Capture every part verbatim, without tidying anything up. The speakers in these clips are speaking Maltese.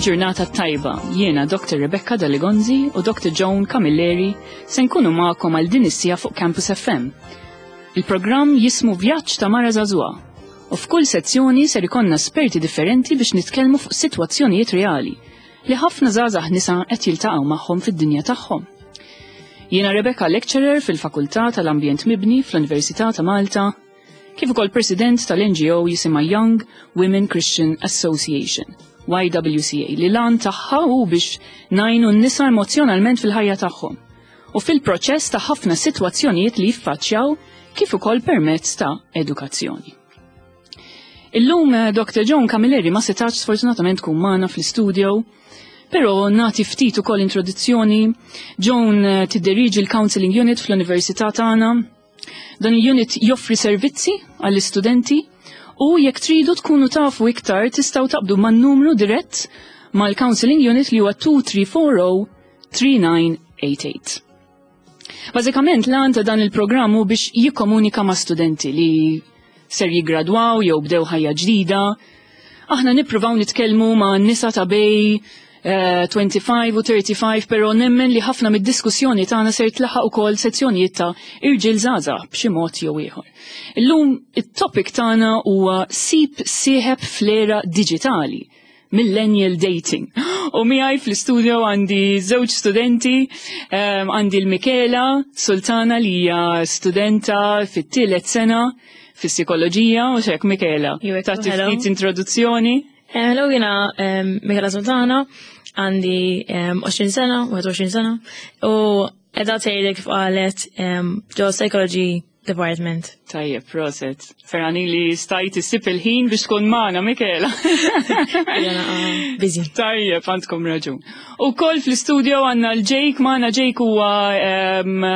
Il-ġurnata tajba, jiena Doctor Rebecca Daligonzi u Doctor Joan Camilleri se nkunu magħkom għal din is-siegħa fuq Campus F M. Il-programm jismu Vjaġġ ta' Mara Żagħżugħa u f'kull sezzjoni ser ikollna esperti differenti biex nitkellmu fuq sitwazzjonijiet reali li ħafna żgħażagħ nisa qed jiltaqgħu magħhom fid-dinja tagħhom. Jiena Rebecca, lecturer fil-Fakultà tal-Ambjent Mibni fl-Università ta' Malta, kif ukoll president tal-N G O jisimha Young Women Christian Association, Y W C A, li l-għan tagħha hu biex ngħinu n-nisa emozjonalment fil-ħajja tagħhom u fil-proċess ta' ħafna sitwazzjonijiet li jiffaċċjaw, kif ukoll permezz ta' edukazzjoni. Illum eh, Doctor Joan Camilleri ma setax sfortunatament tkun magħna fl-studio, però nagħti ftit ukoll introduzzjoni. Joan eh, tiddiriġi l-Counseling Unit fl-Università tagħna. Dan il-unit joffri servizzi għall-istudenti u jekk tridu tkunu tafu iktar, tistgħu taqbdu man-numru dirett mal-Counseling Unit li huwa tnejn tlieta erba' żero tlieta tnejn tmien tmien. Bażikament, l-għan ta' dan il-programm hu biex jikkomunika ma' studenti li ser jigradwaw jew bdew ħajja ġdida. Aħna nippruvaw nitkellmu ma' nisa ta' bejn eh, tlieta u ħamsin u tletin, però nemmen li ħafna mid-diskussjoni tagħna ser tlaħaq ukoll sezzjonijiet ta' irġiel żgħażagħ b'xi mod jew ieħor. Illum it-topic tagħna huwa sib sieħeb fl-era diġitali, millennial dating. U miegħi fl-studio għandi żewġ studenti, um, għandi l-Mikela Sultana li hija studenta fit-tielet sena fis-psikoloġija u xek Mikela. Tagħti ftit introduzzjoni. Eh, hello, jiena Mikela Sultana, għandi għoxrin sena, wieħed u għoxrin sena, u qiegħda tgħidlek kif qalet ġo Psychology Department. Tajjeb, proset. Ferħana li stajt issib il-ħin biex tkun magħna, Mikela. Busy. Tajjeb, għandkom raġun. U koll fl-studio għandna l-Jake magħna. Jake huwa um,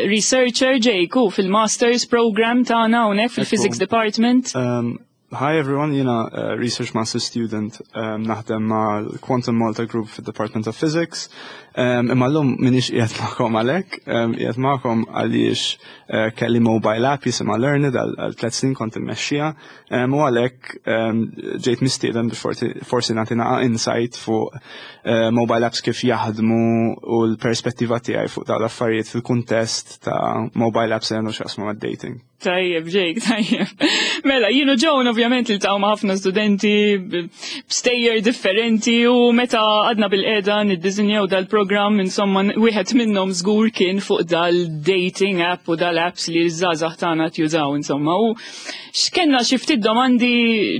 researcher, Jake u fil-Masters program tagħna hawnhekk fil-Physics Department. Um, Hi everyone, jiena uh, Research Master Student um, naħdem ma' Quantum Malta Group fil-Department of Physics. Um, imma llum m'iniex qiegħed magħkom għalhekk, um, qiegħed magħkom għaliex uh, kelli mobile app jisimha Learned, għal tliet snin kont immexxija um, u għalhekk um, ġejt mistieden biex forsi, forsi nagħti naqa' insight fuq uh, mobile apps, kif jaħdmu u l-perspettiva tiegħi fuq dawn l-affarijiet fil-kuntest ta' mobile apps li għandu x'jaqsmu mad-dating. Tajjeb, Jake, tajjeb. Mela, jien u Joan ovvjament iltaqgħu ma' ħafna studenti b'stejjer differenti u meta għadna bilqiegħda niddisinjaw dal-program, insomma, wieħed minnhom żgur kien fuq dal-dating app u dal-apps li ż-żgħażagħ tagħna jużaw, insomma. U x'kellna xi ftit domandi,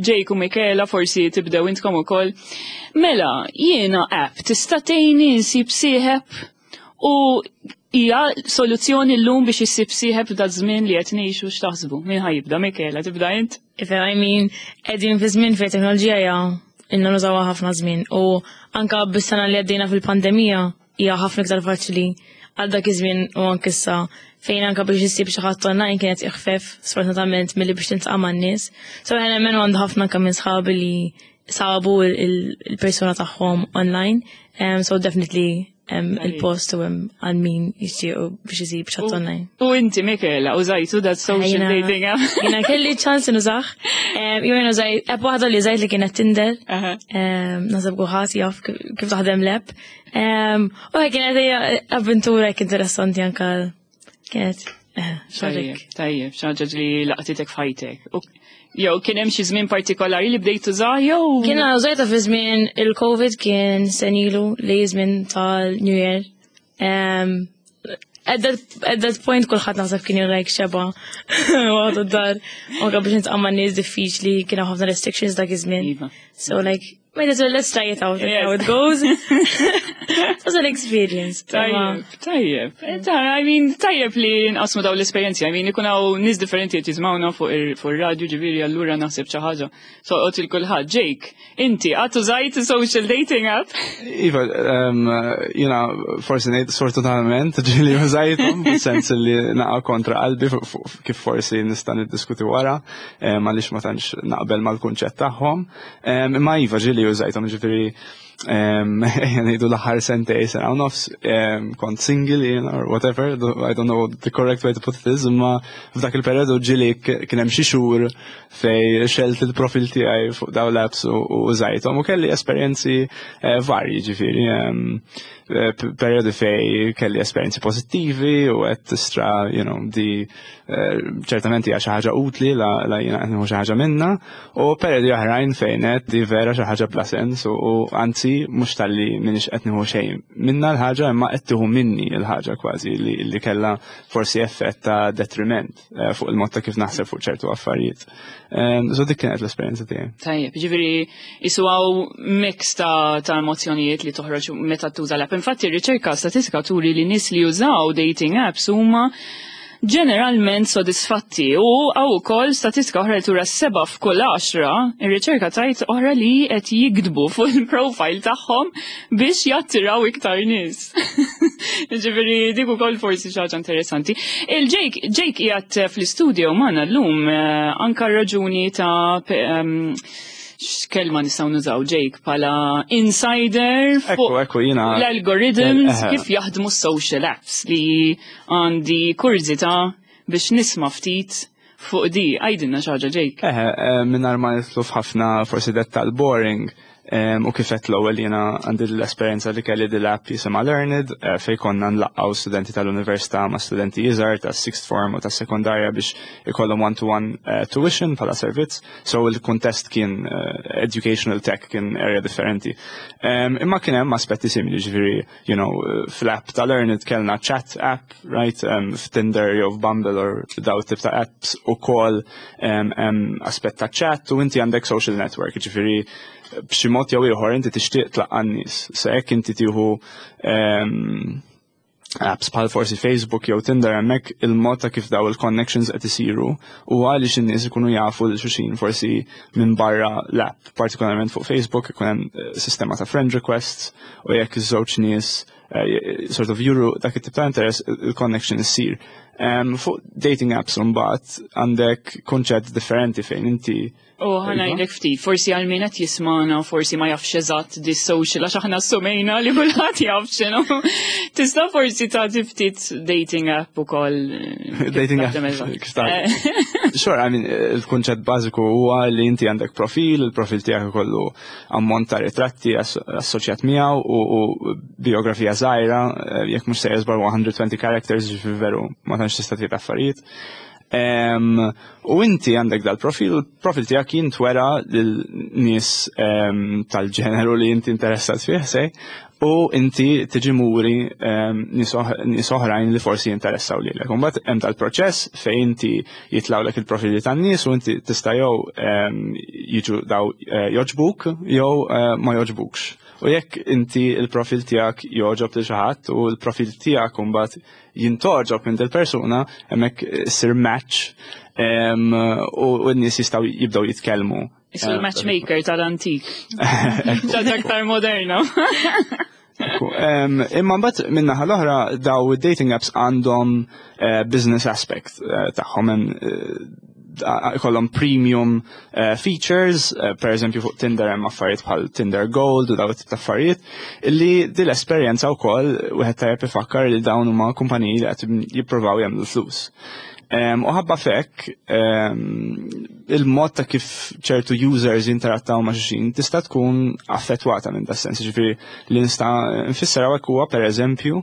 Jake u Michela, forsi tibdew intkom ukoll. Mela, jiena app tista' tgħinni nsib sieħeb u hija soluzzjoni llum biex issib sieħeb da żmien li qed ngħixu? X'taħsbu? Min ħa jibda? Michela, tibda int? If I mean, qegħdin fi żmien fejn teknoloġija hija inna nużawha ħafna żmien u anka bis-sena li għaddejna fil-pandemija hija ħafna iktar faċli għal dak iż-żmien u anke issa, fejn anka biex issib xi ħadd online kienet iħfef sfortunatament milli biex tiltaqa' man-nies. So jien nemmen għandu ħafna anke minn sħabi li sabu il-persuna tagħhom online. Um, so definitely um, il-post u għal min jixtiequ biex isib xi ħadd online. U inti, Michela, użajtu dat social dating app? Jiena kelli ċans nużah. Jien użajt app waħda li użajt li kienet Tinder. Naħseb kulħadd jaf kif taħdem l-app. U kienet avventura interessanti anka kienet. Eh, Tajjeb, tajjeb, xi ħaġa li laqtitek f'ħajtek. Jew kien hemm xi żmien partikolari li bdejt tużah jew? Kien użajta fi żmien il-Covid, kien sena ilu, li żmien tal-New Year. Um, at that, at that point kulħadd naħseb kien like xeba waqt id-dar. Anka biex niltaqa' ma' nies diffiċli, kien hawn ħafna restrictions dak iż-żmien. Iva. So like, might as well let's try it out and how it goes. It was an experience. Tajjeb, tajjeb. I mean, tajjeb li nqasmu daw l-esperjenzi. I mean, ikun hawn nies differenti qed jisimgħuna fuq ir-radju, ġifieri allura naħseb xi ħaġa tolqot lil kulħadd. Jake, inti qatt użajt social dating app? Iva, jiena forsi ngħid sfortunatament ġieli użajthom, sens li naqa' kontra qalbi, kif forsi nista' niddiskuti wara, għaliex ma tantx naqbel mal-kunċett tagħhom. Imma iva, ġieli użajthom, ġifieri Ngħidu l-aħħar sentejn, sena u nofs, kont single jien or whatever, I don't know the correct way to put it is, imma f'dak il-periodu ġieli kien hemm xi xhur fejn xgħelt il-profil tiegħi fuq daw l-apps u użajthom u kelli esperjenzi eh, varji, ġifieri eh, periodi fejn kelli esperjenzi pozittivi u qed tistra, you know, di eh, ċertament hija xi ħaġa utli la la jiena qed nieħu xi ħaġa minna, u periodi oħrajn fejn qed di vera xi ħaġa bla sens u anzi mhux talli m'iniex qed nieħu xejn minna l-ħaġa, imma qed tieħu minni l-ħaġa kważi li, li kellha forsi effett ta' detriment eh, fuq il-mod ta' kif naħseb fuq ċertu affarijiet. So dik kienet l-esperjenza tiegħi. Tajjeb, ġifieri qisu hawn mix ta' ta' emozjonijiet li toħroġ meta tuża l-app. Infatti r-riċerka statistika turi li nies li jużaw dating apps huma ġeneralment sodisfatti u hawn ukoll statistika oħra li tura seba' f'kull għaxra, ir-riċerka tajt oħra li qed jikdbu fuq il-profile tagħhom biex jattiraw iktar nies. Ġifieri dik ukoll forsi xi ħaġa interessanti. Il-Jake Jake qiegħed fl-istudio magħna llum eh, anka raġuni ta' x'kelma nistgħu nużaw, Jake, bħala insider fuq l-algorithms, kif jaħdmu social apps, li għandi kurżità biex nisma' ftit fuq di. Għidilna xi ħaġa, Jake. Eħe, mingħajr ma nidħlu f'ħafna forsi dettal boring, u kif għedt l-ewwel, jiena għandi l-esperjenza li kelli dil-app jisimha Learned, eh, fejn konna nlaqqgħu studenti tal-università ma' studenti iżgħar ta' sixth form u ta' sekondarja biex ikollhom one-to-one eh, tuition bħala servizz. So il-kuntest kien eh, educational tech, kien area differenti. Imma kien hemm aspetti simili, ġifieri, you know, fl-app ta' Learned kellna chat app, right, f'Tinder jew f'Bumble or daw tip ta' apps ukoll aspett ta' chat u inti għandek social network, ġifieri b'xi mod jew ieħor inti tixtieq tlaqqa' nies. Se jekk inti tieħu ehm, apps bħal forsi Facebook jew Tinder, hemmhekk il-mod ta' kif daw il-connections qed isiru u għaliex in-nies ikunu jafu lil xulxin forsi minn barra l-app, partikolarment fuq Facebook ikun hemm eh, sistema ta' friend requests u jekk iż-żewġ nies eh, sort of juru dak it-tip ta' interess, il-connection issir. Um, fuq dating apps mbagħad għandek konċett differenti fejn inti U ħa ngħidlek ftit, forsi għal min qed jismana, forsi ma jafx eżatt di social, għax aħna assumejna li kulħadd jaf x'inhu. Tista' forsi tagħti ftit dating app ukoll? Dating app. Sure, I mean, il-kunċett bażiku huwa li inti għandek profil, il-profil tiegħek ikollu ammont ta' ritratti assoċjat miegħu u biografija żgħira, jekk mhux se żball one hundred twenty characters, veru ma tantx tista' tgħid affarijiet. U inti għandek dal-profil, profil tiegħek jintwera lil-nies tal-ġeneru li inti interessat fih sej, u inti tiġi muri nies oħrajn li forsi jinteressaw lilek. Imbagħad hemm tal-proċess fejn inti jitlawlek il-profili tan-nies u inti tista' jew jiġu daw eh, joġbuk jew eh, ma joġbukx. U jekk inti il-profil tiegħek joġob lil xi ħadd u l-profil tiegħek imbagħad jintgħoġob minn persuna, hemmhekk issir match u n-nies jistgħu jibdew jitkellmu. Qisu l-matchmaker tal-antik. Ġad aktar moderna. Imma mbagħad min-naħa l-oħra daw dating apps għandhom eh, business aspect eh, tagħhom, eh, ikollhom premium features, per eżempju fuq Tinder hemm affarijiet bħal Tinder Gold u daw tip ta' affarijiet, illi din l-esperjenza wkoll wieħed tajjeb ifakkar li dawn huma kumpaniji li qed jippruvaw jagħmlu flus. U ħabba f'hekk, il-mod ta' kif ċertu users jinterattaw ma' xulxin tista' tkun affettwata minn da sens. Ġifieri li nista' nfisser hawnhekk huwa, per eżempju,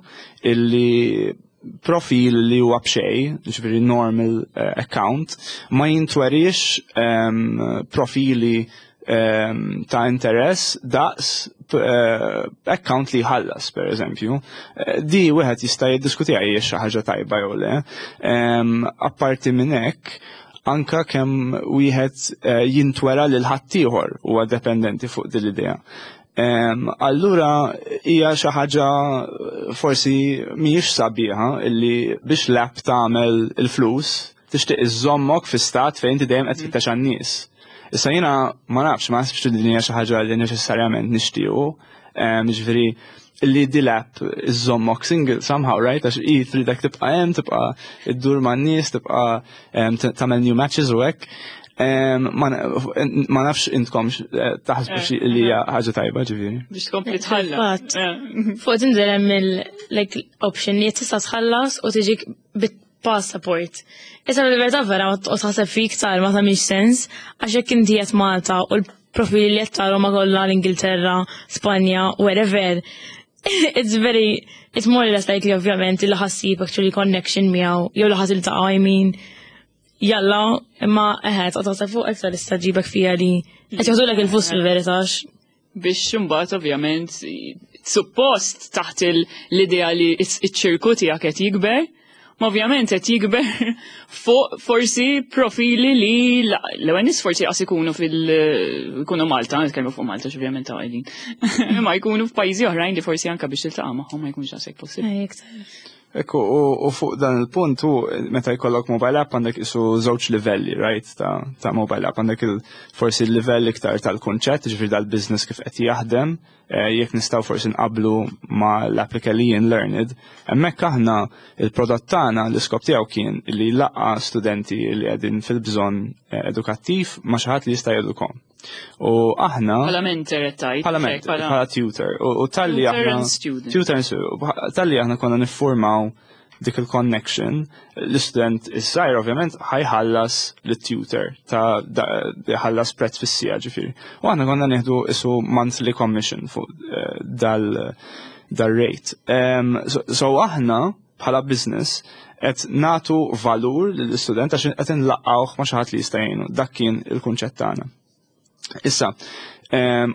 illi profil li huwa b'xejn, ġifieri normal eh, account, ma jintwerix profili ta' interess daqs eh, account li jħallas, per eżempju. Eh, di wieħed jista' jiddiskutiha hija xi ħaġa tajba jew le. Apparti minn hekk, anka kemm wieħed eh, jintwera lil ħaddieħor huwa dependenti fuq din l-idea. Allura hija xi ħaġa forsi mhijiex sabiħa illi biex l-app tagħmel il-flus tixtieq iżommok fi stat fejn inti dejjem qed tfittex għan-nies. Issa jiena ma nafx, ma naħsibx li din hija xi ħaġa li neċessarjament nixtiequ. Ġifieri li di l-app iżommok single somehow, right? Għax i tridek tibqa' hemm, tibqa' iddur man-nies, tibqa' tagħmel new matches u hekk. Ma nafx intkom eh, taħsbu xi li hija ħaġa tajba, ġifieri. Biex tkompli tħallas. Fuq Tinder hemm il-like option li tista' tħallas u tiġik bit-passport. Issa fil-verità vera ma toqgħod taħseb fik iktar ma tagħmilx sens, għax jekk inti qed Malta u l-profili li qed tara ma kollha l-Ingilterra, Spanja, wherever. It's very, it's more or less likely, ovvjament, li ħa ssib actually connection miegħu jew li ħa tiltaqa', I mean, jalla, imma eħe, toqgħod taħseb fuq iktar issa ġibek fija li qed joħdulek il-flus fil-verità. Biex imbagħad ovvjament suppost taħt l-idea li iċ-ċirku tiegħek qed jikber, ma ovvjament qed jikber fuq forsi profili li l-ewwel nies forsi qas ikunu fil ikunu Malta, nitkellmu fuq Malta ovvjament ta' qegħdin. Ma jkunu f'pajjiżi oħrajn li forsi anke biex tiltaqa' magħhom ma jkunx daqshekk possibbli. Ekku, u fuq dan il-punt, u meta jkollok mobile app għandek isu żewġ livelli, right, ta', ta mobile app. Għandek il, forsi il-livell iktar tal-konċett, ġifieri dal-business kif qed jaħdem, eh, jekk nistgħu forsi nqablu ma l-application Learned. Hemmhekk aħna il-prodott tagħna l-iskop tiegħu kien li laqqa studenti li qegħdin fil-bżonn eh, edukattiv ma xi ħadd li jista' jedukom. U aħna. Bħala mentor qed. Bħala mentor, bħala tutor. U talli aħna. Tutor and student. Talli aħna konna niffurmaw dik il-connection, l-student is-sajr ovvjament ħa jħallas l-tutor ta' ħallas prezz fis-siegħa, ġifieri. U aħna konna nieħdu isu monthly commission fuq eh, dal dal-rate. So aħna bħala business qed natu valur lill-istudent għax qed nlaqqawh ma xi ħadd li jista' jgħinu. Dak kien il-kunċett tagħna. Issa,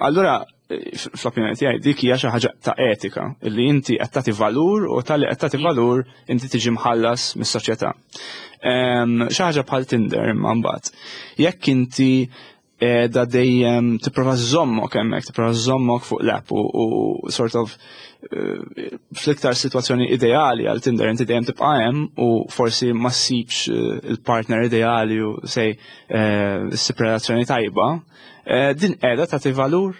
allura fl-opinjoni tiegħi dik hija xi ħaġa ta' etika illi inti qed tagħti valur u talli qed tagħti valur inti tiġi mħallas mis-soċjetà. Xi ħaġa bħal Tinder imma mbagħad. Jekk inti da dejjem tipprova żommok hemmhekk, tipprova żommok fuq l-app u sort of eh, fl-iktar situazzjoni ideali għal Tinder inti dejjem tibqa' hemm u forsi ma ssibx eh, il-partner ideali u sej eh, ssib relazzjoni tajba, din qiegħda tagħti valur,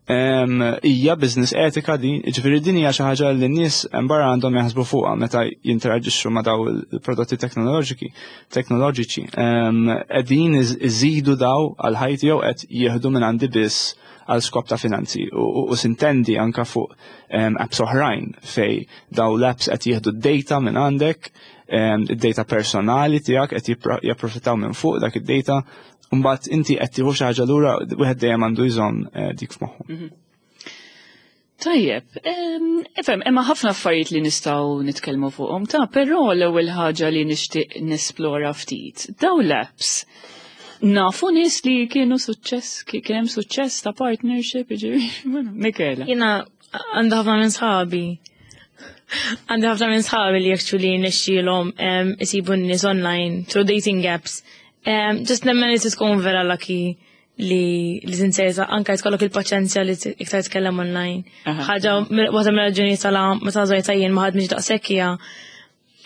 hija business etika din? Ġifieri din hija xi ħaġa li n-nies barra għandhom jaħsbu fuqha meta jinteraġixxu ma' daw il-prodotti teknoloġiki teknoloġiċi. Qegħdin iżidu daw għal ħajti jew qed jieħdu minn għandi biss għal skop ta' finanzi? U sintendi anka fuq apps oħrajn fej daw l-apps qed jieħdu d-data minn għandek, id-data personali tiegħek, qed japprofittaw minn fuq dak id-data. Mbagħad inti qed tieħu xi ħaġa lura, wieħed dejjem għandu jżomm eh, dik f'moħħu. Mhm. Tajjeb, ifhem, imma ħafna affarijiet li nistgħu nitkellmu fuqhom ta' però l-ewwel ħaġa li nixtieq nesplora ftit. Daw l-apps nafu nies li kienu suċċess, kien hemm suċċess ta' partnership, ġifieri, Michela. Jiena għandi ħafna minn sħabi. Għandi ħafna minn sħabi li actually nexxielhom isibu n-nies online through dating apps. Um, just nemmen li tkun vera lucky li li tinserta anka tkollok il-paċenzja li iktar tkellem online. Ħaġa waħda mill-raġuni tala meta żajta jien ma ħadmix daqshekk hija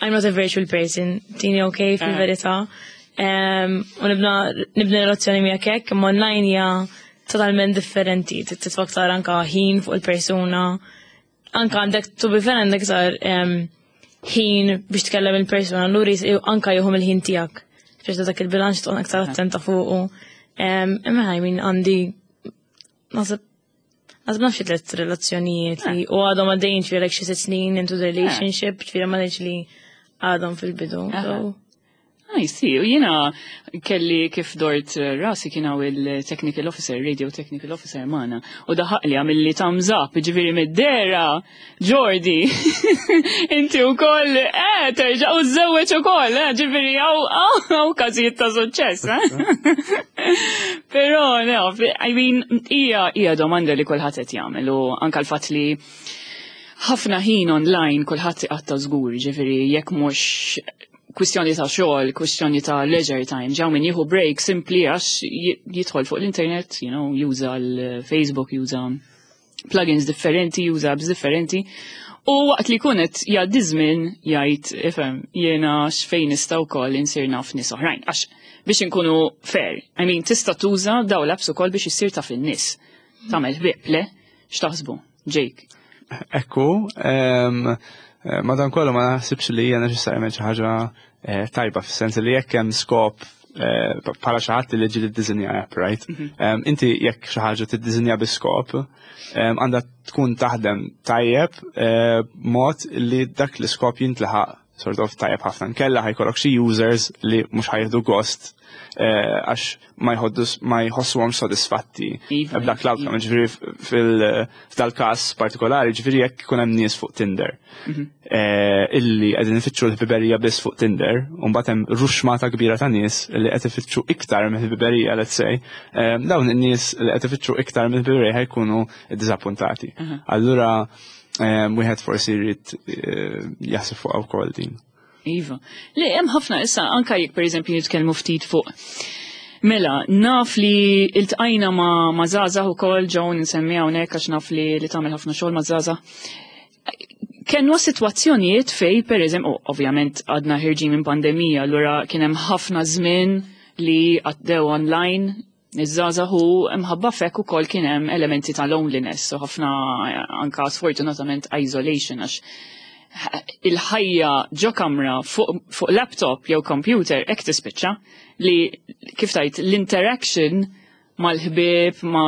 I'm not a virtual person, tini okay fil-verità. U nibna nibna relazzjoni miegħek hekk, imma online hija totalment differenti, titfa' aktar anka ħin fuq il-persuna. Anka għandek, to be fair, għandek iktar ħin biex tkellem il-persuna, allura anka jieħu mill-ħin tiegħek. Biex dak il-bilanċ tkun aktar attenta fuqu. Imma I mean, għandi naħseb naħseb naf xi tliet relazzjonijiet li u għadhom għaddejjin, ġifieri like xi sitt snin into the relationship, ġifieri ma li għadhom fil-bidu. I see, u jiena kelli kif dort rasi kien hawn il-technical officer, radio technical officer magħna, u daħaq li għamilli thumbs up, ġifieri mid-dera, Jordi, inti u koll, eh, terġa' u żewweġ u koll, eh, ġifieri hawn hawn każijiet ta' suċċess, eh? Però, no, I mean, hija hija domanda li kulħadd qed jagħmel u anka l-fatt li ħafna ħin online kulħadd iqatta' żgur, ġifieri jekk mhux kwistjoni ta' xogħol, kwistjoni ta' leisure time, ġaw min jieħu break simply għax jidħol fuq l-internet, you know, juża l-Facebook, juża plugins differenti, juża apps differenti. U waqt li kunet jgħaddi żmien jgħid, ifhem, jiena x'fejn nista' wkoll insir naf nies oħrajn. Għax biex inkunu fair, I mean, tista' tuża daw l-apps ukoll biex issir taf in-nies. Tagħmel ħbieb, le? X'taħsbu? Jake. Ekku, madankollu ma naħsibx li hija neċessarjament xi ħaġa eh, tajba fis-sens li jekk hemm skop eh, bħala xi ħadd li ġieli ddisinja app, right? Em, Inti jekk xi ħaġa tiddisinja bi skop, em, għandha tkun taħdem tajjeb eh, mod li dak l-iskop jintlaħaq sort of tajjeb ħafna. Nkella ħa jkollok xi users li mhux ħa jieħdu gost eh, għax ma jħoddus ma jħossuhom sodisfatti Iva, b'dak l-outcome. Iva. Ġifieri fil- f'dal-każ partikolari, ġifieri jekk ikun hemm nies fuq Tinder eh, illi qegħdin ifittxu l-ħbiberija biss fuq Tinder, u mbagħad hemm ruxmata kbira ta' nies li qed ifittxu iktar mill-ħbiberija, let's say, eh, dawn in-nies li qed ifittxu iktar mill-ħbiberija ħa jkunu ddiżappuntati. Allura eh, wieħed forsi jrid eh, jaħseb fuq wkoll din. Iva. Le, hemm ħafna issa anka jekk pereżempju nitkellmu ftit fuq. Mela, naf li iltqajna ma' ma' żgħażagħ ukoll ġew nsemmi hawnhekk għax naf li li tagħmel ħafna xogħol ma' żgħażagħ. Kienu sitwazzjonijiet fej pereżempju, oh, ovvjament għadna ħerġin minn pandemija, allura kien hemm ħafna żmien li għaddew online iż-żgħażagħ u mħabba f'hekk ukoll kien hemm elementi ta' loneliness, u ħafna anka sfortunatament isolation għax il-ħajja ġo kamra fuq fuq laptop jew computer hekk tispiċċa li kif tajt l-interaction mal-ħbieb ma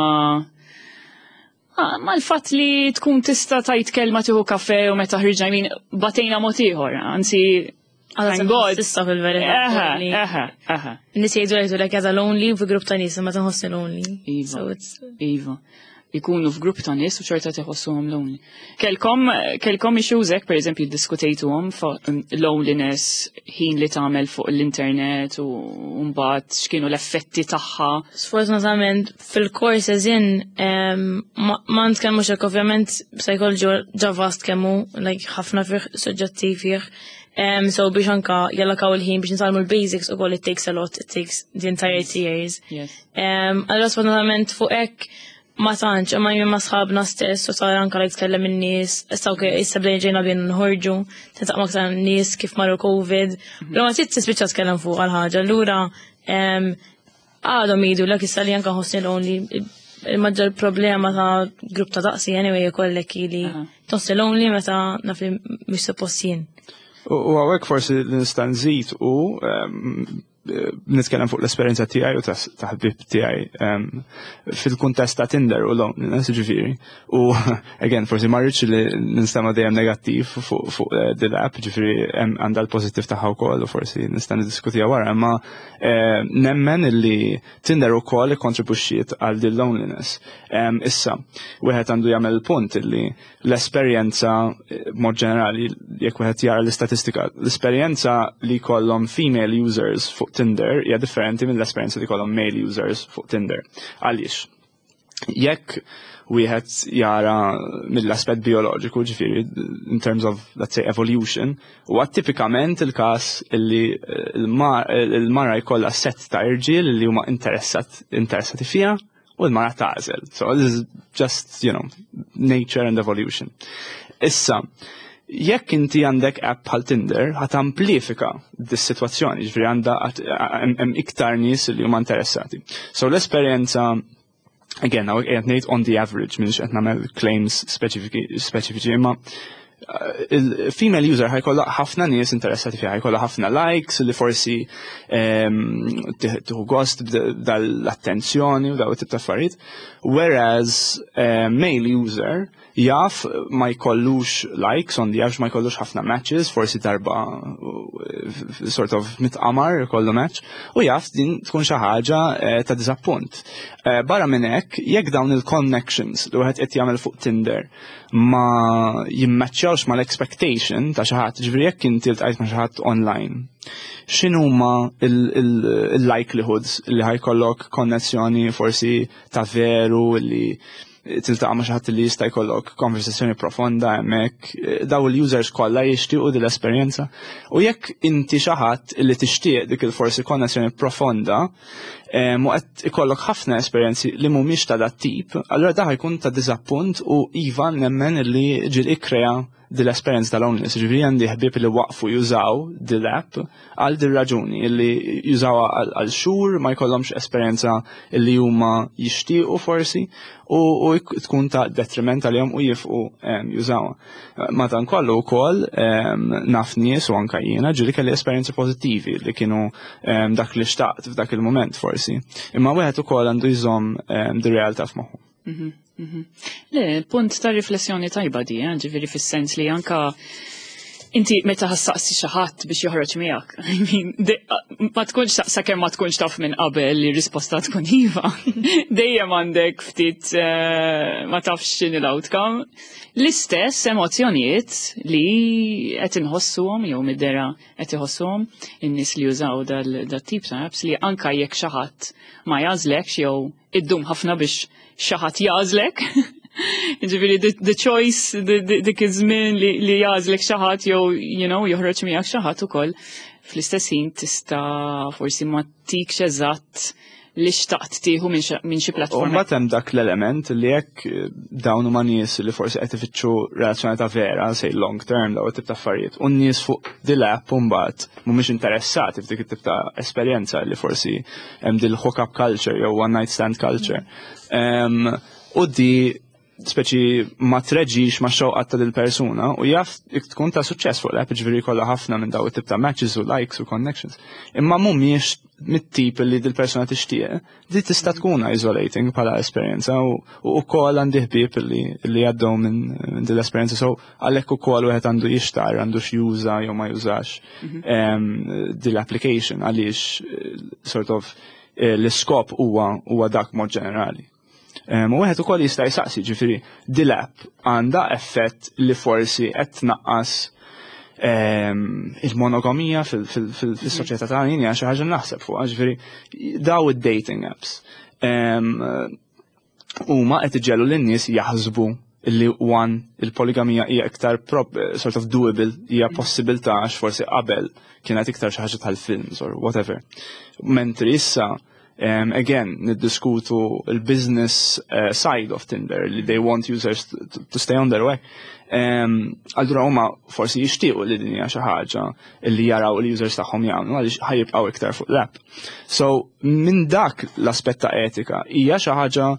Ah, mal-fatt li tkun tista' tajt kelma tieħu kafe u meta ħriġna jmin batejna mod ieħor, anzi thank God. Issa fil-verità. Eħe, li eħe, eħe. Nies jgħidu jgħidu like għaza lonely u fi grupp ta' nies ma tinħossni lonely. Iva. So it's Iva. Ikunu f'grupp ta' nies u xorta tiħossuhom lonely. Kelkom, kelkom issues hekk, per eżempju, diskutejtuhom fuq um, loneliness, ħin li tagħmel fuq l-internet u mbagħad x'kienu l-effetti tagħha. Sfortunatament fil-course eżin ma ma nitkellmux hekk, ovvjament psychology ġa vast kemmu, like ħafna fih suġġetti fih. Um, so biex anka jallokaw il-ħin biex nitgħallmu l-basics u koll it takes a lot, it takes the entire two years. Yes. Um, allora sfortunatament fuq hekk ma tantx, imma jien ma sħabna stess u tara anka like tkellem in-nies, issa okay, issa bdejna ġejna bejn nħorġu, tiltaqa' aktar nies kif marru Covid. Però ma trid tispiċċa tkellem fuq għal ħaġa, allura um, għadhom jgħidu l issa li anka ħossni lonely, il-maġġor problema ta' grupp ta' daqsi anyway jkollek li Aha. tħossni lonely meta naf li mhux suppost jien. U u hawnhekk forsi li nista' nżid u em, eh, nitkellem fuq l-esperjenza tiegħi u ta' ta' ħbib tiegħi em, fil-kuntest ta' Tinder u loneliness ġifieri. U again forsi ma rridx li ninstema' dejjem negattiv fuq fuq eh, din l-app, ġifieri hemm għandha l-pożittiv tagħha wkoll u forsi nista' niddiskutiha wara, imma eh, nemmen illi Tinder ukoll ikkontribwixxiet għal din loneliness. Em, Issa, wieħed għandu jagħmel punt illi l-esperjenza eh, mod ġenerali jekk wieħed jara l-istatistika, l-esperjenza li jkollhom female users fuq Tinder hija differenti mill-esperjenza li jkollhom male users fuq Tinder. Għaliex? Jekk wieħed jara mill-aspett bioloġiku, ġifieri, in terms of, let's say, evolution, huwa tipikament il-każ illi il-mara jkollha set ta' irġiel li huma interessat interessati fiha u l-mara tagħżel. So this is just, you know, nature and evolution. Issa, jekk inti għandek app bħal Tinder, ħa tamplifika dis-sitwazzjoni, ġifieri għandha hemm iktar nies li huma interessati. So l-esperjenza again, qed ngħid on the average, m'iniex qed nagħmel claims speċifiċi, imma uh, il-female user ħa jkollha ħafna nies interessati fiha, ħa jkollha ħafna likes li forsi tieħu gost dal-attenzjoni u daw tip ta' affarijiet. Whereas uh, male user jaf ma jkollux likes on the average, ma jkollux ħafna matches, forsi darba uh, sort of mitqamar jkollu match, u jaf din tkun xi ħaġa eh, ta' disappunt. Eh, barra minn hekk, jekk dawn il-connections li wieħed qed jagħmel fuq Tinder ma jimmaċċjawx mal-expectation ta' xi ħadd, ġifieri jekk inti ltqajt ma' xi ħadd online, x'inhuma il-likelihoods li ħa jkollok konnessjoni forsi ta' veru li tiltaqa' ma' xi ħadd li jista' jkollok konversazzjoni profonda hemmhekk, daw il-users kollha jixtiequ din l-esperjenza. U jekk inti xi ħadd li tixtieq dik il-forsi konnessjoni profonda, u qed ikollok ħafna esperjenzi li mhumiex ta' dat tip, allura da jkun ta' diżappunt u iva nemmen li ġieli ikkrea dil-esperjenza tal-loneliness. Ġifieri għandi ħbieb li waqfu jużaw dil-app għal dil raġuni illi jużawha għal xhur, ma jkollhomx esperjenza illi huma jixtiequ forsi u, u tkun ta' detriment għalihom u jieqfu jużawha. Madankollu wkoll naf nies, u anka jiena ġieli kelli esperjenzi pożittivi li kienu dak li xtaqt f'dak il-moment forsi. Imma wieħed ukoll għandu jżomm dir-realtà f'moħħu. Mhm, mhm. Le, punt ta' riflessjoni tajba di, eh, ġifieri fis-sens li anka inti meta ħa ssaqsi xi ħadd biex joħroġ miegħek. I mean, ma tkunx, sakemm ma tkunx taf minn qabel li risposta tkun iva. Dejjem għandek ftit eh, ma tafx x'inhi l-outcome. L-istess emozjonijiet li qed inħossuhom jew mid-dehra qed iħossuhom in-nies li jużaw dal-tip ta' apps, li anka jekk xi ħadd ma jagħżlekx jew iddum ħafna biex xi ħadd jagħżlek. Ġifieri, the, the choice, dik iż-żmien li, li jagħżlek xi ħadd jew you know, joħroġ miegħek xi ħadd ukoll, fl-istess ħin tista' forsi ma tikx eżatt li xtaqt tieħu minn xi platforma. U mbagħad hemm dak l-element li jekk dawn huma nies li forsi qed ifittxu relazzjoni ta' vera, say long term, daw tip ta' affarijiet, u n-nies fuq dil-app mbagħad mhumiex interessati f'dik it-tip ta' esperjenza li forsi hemm dil hook-up culture jew one night stand culture. U di speċi ma treġix ma xewqat ta' dil-persuna u jaf tkun ta' suċċess fuq l-app, ġifieri kollha ħafna minn daw it-tip ta' matches u likes u connections. Imma mhumiex mit-tip li dil-persuna tixtieq, di tista' tkun isolating bħala esperjenza u wkoll għandi ħbieb li li għaddew minn din l-esperjenza, so għalhekk ukoll wieħed għandu jixtar għandu x'juża jew ma jużax mhm. dil-application, għaliex eh, sort of eh, l-iskop huwa huwa dak mod ġenerali. U wieħed ukoll jista' jsaqsi, ġifieri dil-app għandha effett li forsi qed tnaqqas il-monogamija fil-soċjetà tagħna? Hija xi ħaġa naħseb fuq, ġifieri daw id-dating apps huma qed iġegħlu lin-nies jaħsbu li one il-poligamija hija iktar sort of doable, hija possibilità, għax forsi qabel kienet iktar xi ħaġa tal-films or whatever. Mentri issa um, again, niddiskutu il-business uh, side of Tinder, li they want users to, to stay on their way. Um, Allura huma forsi jixtiequ li din hija xi ħaġa li jaraw il-users tagħhom jagħmlu għaliex ħa jibqgħu iktar fuq l-app. So minn dak l-aspett ta' etika, hija xi ħaġa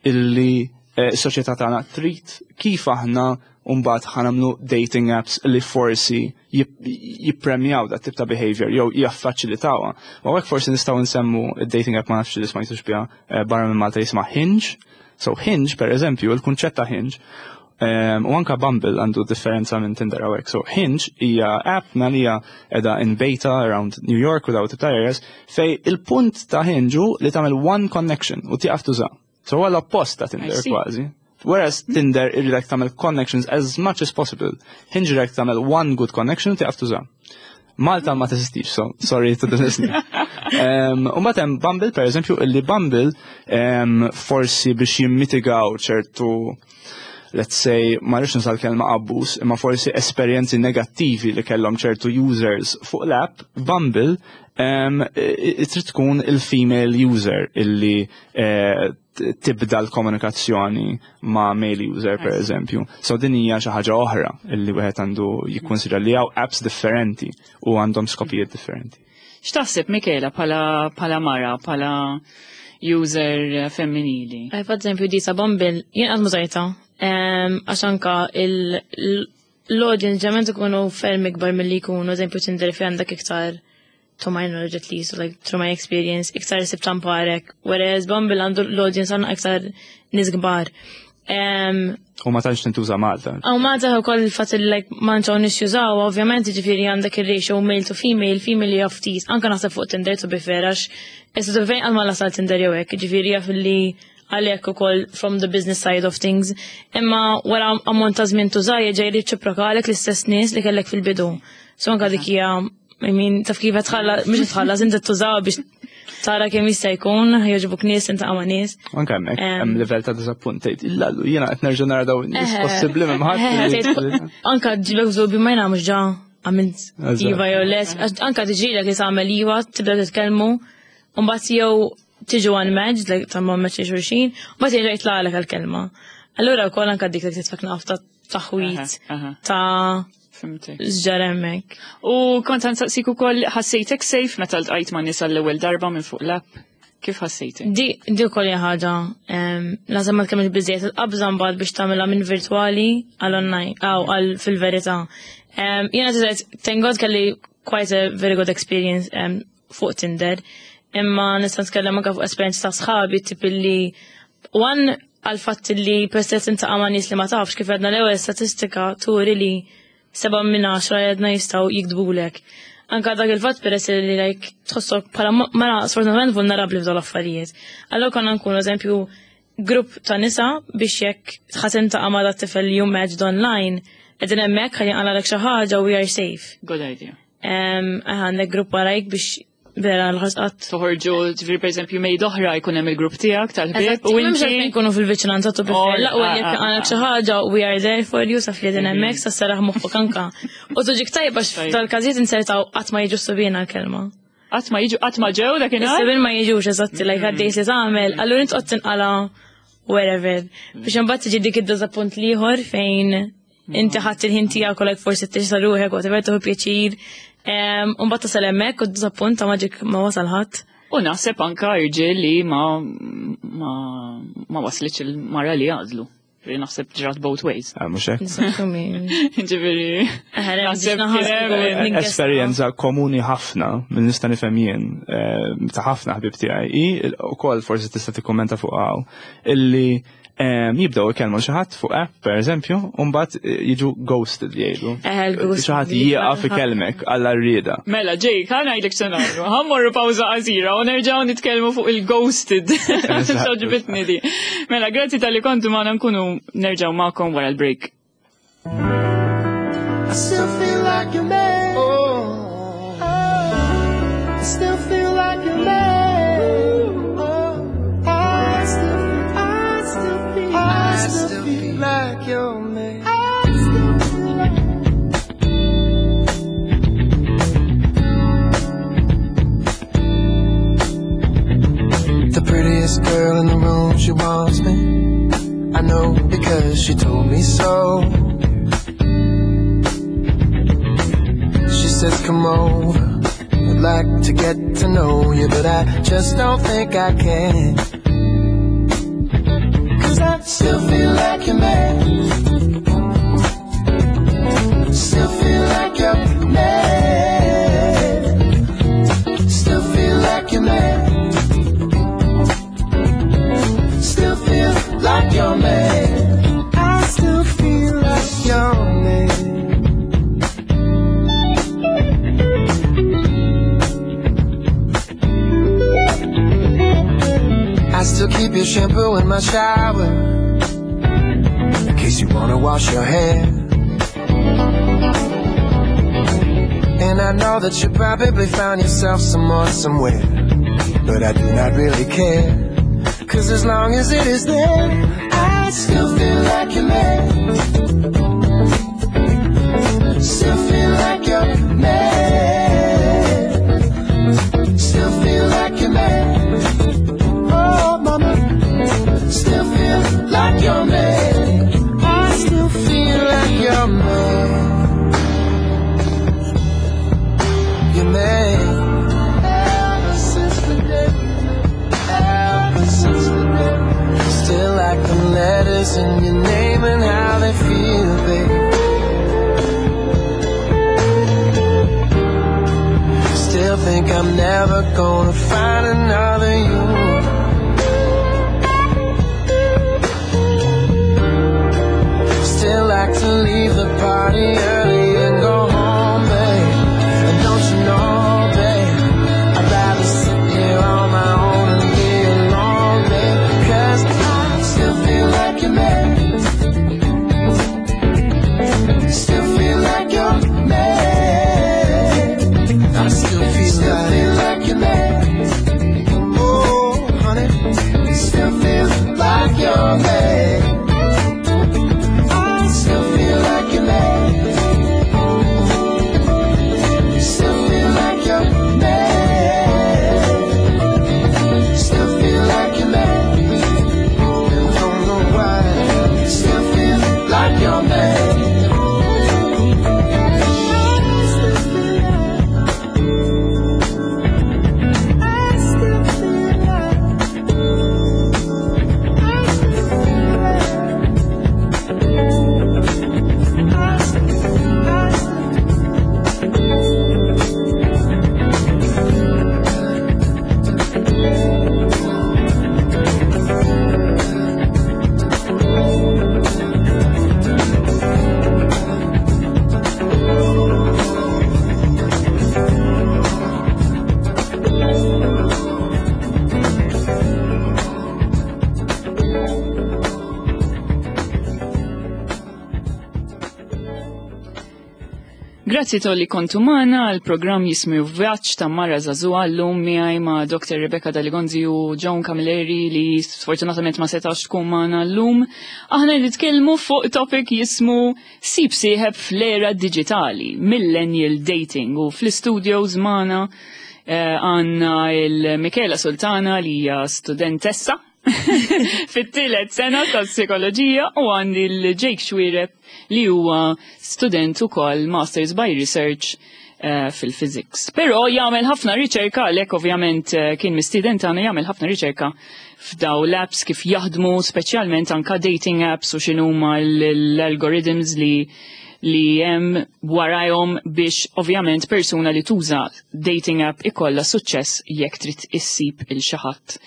illi eh, s-soċjetà tagħna trid? Kif aħna mbagħad ħa nagħmlu dating apps li forsi jippremjaw dat tip ta' behavior jew jaffaċilitawha? U hekk forsi nistgħu nsemmu id-dating app, ma nafx li smajtux biha eh, barra minn Malta, jisma' Hinge. So Hinge, per eżempju, il-kunċett ta' Hinge Um, u anka Bumble għandu differenza minn Tinder għawek. So Hinge hija app li hija qiegħda in beta around New York u daw tip ta' areas, fejn il-punt ta' Hinge hu li tagħmel one connection u tieqaf tuża. So huwa l-oppost ta' Tinder kważi. Whereas Tinder irridek tagħmel connections as much as possible, Hinge irridek tagħmel one good connection u tieqaf tuża. Malta ma teżistix, so sorry to the listener. Um, u matem Bumble, per eżempju, illi Bumble um, forsi biex jimmitigaw ċertu, let's say, ma rridx nuża l-kelma abbuż, imma forsi esperjenzi negattivi li kellhom ċertu users fuq l-app, Bumble um, trid tkun il-female user illi eh, tibda l-komunikazzjoni ma' male user, per eżempju. So din hija xi ħaġa oħra illi wieħed għandu jikkonsidra, li hawn apps differenti u għandhom skopijiet differenti. X'taħseb, Michela, bħala bħala mara, bħala user femminili? Per eżempju, di ta' Bumble, jien qatt m'użajtha, għax anka l-audience ġament ikunu ferm ikbar milli jkunu, eżempju, Tinder, fi għandek iktar, to my knowledge at least, like through my experience, iktar issib tamparek, whereas Bumble għandu l-audience għandna iktar nies kbar. U ma tantx tintuża Malta. U Malta u koll il-fat li like ma nies jużaw, ovvjament, ġifieri għandek il-ratio male to female, female hija ftit, anka naħseb fuq Tinder, to be fair, għax issa to be fair għal ma lasal Tinder jew hekk, ġifieri jaf li għalhekk ukoll from the business side of things. Imma wara ammont ta' żmien tuża jerġa' jirriċiprokalek l-istess nies li kellek fil-bidu. So anka dik hija, I mean, taf kif tħalla, mhux tħallas, inti tużaw biex tara kemm jista' jkun, jogħġbuk nies, inta ma' nies. Anke hemmhekk hemm livell ta' diżappunt, tgħid, "Illallu, jiena qed nerġa' nara dawn nies, possibbli m'hemm ħadd?" Anka ġibek żobi ma jiena mhux ġa għamilt iva jew les, anka tiġrilek li tagħmel iva, tibda titkellmu, u mbagħad jew tiġu unmatched, like ta' ma match xulxin, u mbagħad jerġa' jitlaqlek għall-kelma. Allura wkoll anka dik li titfek nafta. taħwit ta' x'ġara hemmhekk. U kont ħa nsaqsik ukoll, ħassejtek safe meta ltqajt ma' nies għall-ewwel darba minn fuq l-app? Kif ħassejtek? Di di wkoll hija ħaġa, naħseb ma tkellmx biżejjed il-qabża mbagħad biex tagħmilha minn virtwali għal online aw għal fil-verità. Jiena tiżgħet, thank God kelli quite a very good experience um, fuq Tinder. Imma nista' nitkellem anke fuq esperjenza ta' sħabi, tip li one għal fatt li peress intaqa' ma' nies li ma tafx, kif għedna l-ewwel, statistika turi li seba' minn għaxra għedna jistgħu jikdbulek. Anka dak il-fatt, peress li like tħossok bħala mara sfortunatament vulnerabbli f'dawn l-affarijiet. Allora konna nkunu, eżempju, grupp ta' nisa biex jekk ħa tiltaqa' ma' dat tifel li you matched online, qegħdin hemmhekk ħalli jinqalgħalek xi ħaġa, we are safe. Good idea. Għandek grupp warajk biex vera l-ħasqat. Toħorġu, ġifieri, per eżempju, mejda oħra jkun hemm il-grupp tiegħek tal-ħbieb u inti nkunu fil-viċinanza tu prefer. L-aqwa jekk għandek xi ħaġa, we are there for you, saf li din hemmhekk sa saraħ moħħok anka. U tuġik tajba tal-każijiet insertaw qatt ma jiġu s-subien għal-kelma. Qatt ma jiġu, qatt ma ġew dakinhar? Is-subien ma jiġux, eżatti, like għaddejt li tagħmel, allura int qgħod tinqala wherever. Biex imbagħad tiġi dik id-diżappunt l-ieħor fejn inti ħadd il-ħin tiegħek u like forsi tixta ruħek, whatever, tieħu pjaċir. Mbagħad tasal hemmhekk u d-diżappunt ta' maġik ma wasal ħadd. U naħseb anka irġiel li ma ma ma waslitx il-mara li għażlu. Ġifieri naħseb ġrat both ways. Ah, mhux hekk? Ġifieri. Naħseb Esperjenza komuni ħafna minn nista' nifhem jien, eh, ta' ħafna ħbib tiegħi hi ukoll, forsi tista' tikkummenta fuq hawn, illi jibdew ikellmu xi ħadd fuq app, pereżempju, u mbagħad eh, jiġu ghosted, jgħidu. Xi ħadd jieqaf ikellmek għal rrieda. Mela, Jake, ħa ngħidlek se nagħmlu. Ħa mmorru pawża qasira u nerġgħu nitkellmu fuq il-ghosted. Għoġbitni di. Mela, grazzi talli kontu magħna, nkunu nerġgħu magħkom wara l-break. I still feel like your man. Oh, I still feel like your man. Oh, I still feel, I still feel, I still feel like your man. I still feel like. The prettiest girl in the room, she wants me. I know because she told me so. She says, "Come over, I'd like to get to know you," but I just don't think I can. 'Cause I still feel like your man. Still feel like your man. Still feel like your man. Still feel like your man. I still feel like your man. I still keep your shampoo in my shower, in case you wanna wash your hair. And I know that you probably found yourself some more somewhere, but I do not really care, 'cause as long as it is there, I still feel like your man. Still feel like your man. Still feel like your man. Oh, mama. Still feel like your man. I still feel like your man. Your man. Ever since the day we met. Ever since the day. Still like the letters in your name and how they feel, babe. Still think I'm never gonna find another you. Still like to leave the party early and go home, babe. And don't you know, babe, I'd rather sit here on my own and be alone, babe. 'Cause I still feel like your man. Still feel like your man. I still feel, still like, feel like your man. Oh, Grazzi talli kontu magħna għal programm jismu Vjaġġ ta' Mara Żagħżugħa, llum miegħi ma' Doktor Rebecca Daligonzi u Joan Camilleri li sfortunatament ma setax tkun magħna llum. Aħna nitkellmu fuq topic jismu Sib Sieħeb fl-era digitali, Millennial Dating, u fl-studios magħna eh, għandna il-Michela Sultana li hija studentessa fit-tielet sena tas-psikoloġija u għandi l-Jake Xuereb li huwa student ukoll Masters by Research eh, fil-physics. Però jagħmel ħafna riċerka, għalhekk ovvjament eh, kien mistieden tagħna, jagħmel ħafna riċerka f'daw l-apps kif jaħdmu, speċjalment anka dating apps u x'inhuma l-algorithms li li hemm warajhom biex ovvjament persuna li tuża dating app ikollha suċċess jekk trid issib il xi ħadd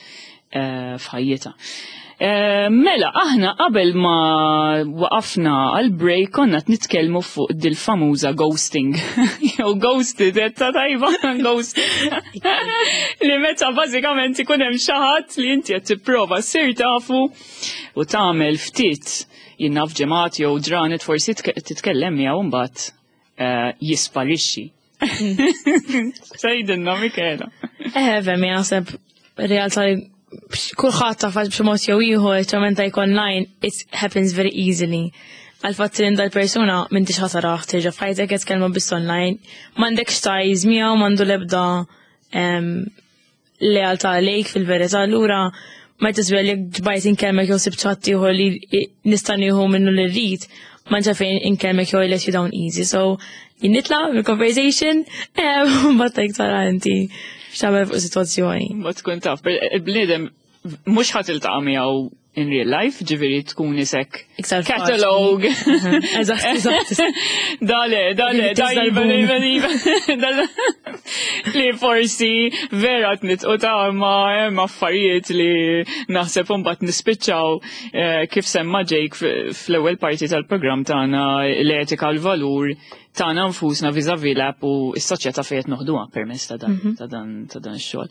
eh, f'ħajjitha. Eh, Mela, aħna qabel ma waqafna għal break konna nitkellmu fuq dil-famuża ghosting. Jew ghosted, ta' tajba, ghost. Li meta bażikament ikun hemm xi ħadd li inti qed tipprova ssir tafu u tagħmel ftit jien naf ġimgħat jew ġranet forsi titkellem miegħu, mbagħad eh, jisparixxi. Sejdinna, Michela. Eh, vemi, naħseb realtà li kulħadd taf b'xi mod jew ieħor, ċertament jekk online, it happens very easily. Għal-fatt li dal-persuna m'intix ħa tarah terġa' f'ħajtek, qed tkellmu biss online, m'għandekx ties miegħu, m'għandu l-ebda lealtà lejk fil-verità, allura ma tisbel jekk ġbajt inkellmek jew sibt ħadd ieħor li nista' nieħu minnu li rrid, ma fejn inkellmek jew let you down easy. So jien nitlaq mill-conversation, mbagħad tara inti x'tagħmel fuq sitwazzjoni. Ma tkun taf, il-bniedem mhux ħa tiltaqa' miegħu in real life, ġifieri tkun isek catalog. Eżatt, eżatt. Dale, dale, dale, dale, li forsi vera nitqu ta' ma hemm affarijiet li naħseb mbagħad nispiċċaw eh, kif semma Jake fl-ewwel parti tal-programm tagħna, l-etika, l-valur tagħna nfusna vis-a-vis l-app u s-soċjetà fejn qed noħduha permezz ta' dan mhm. ta' dan ta' dan ix-xogħol.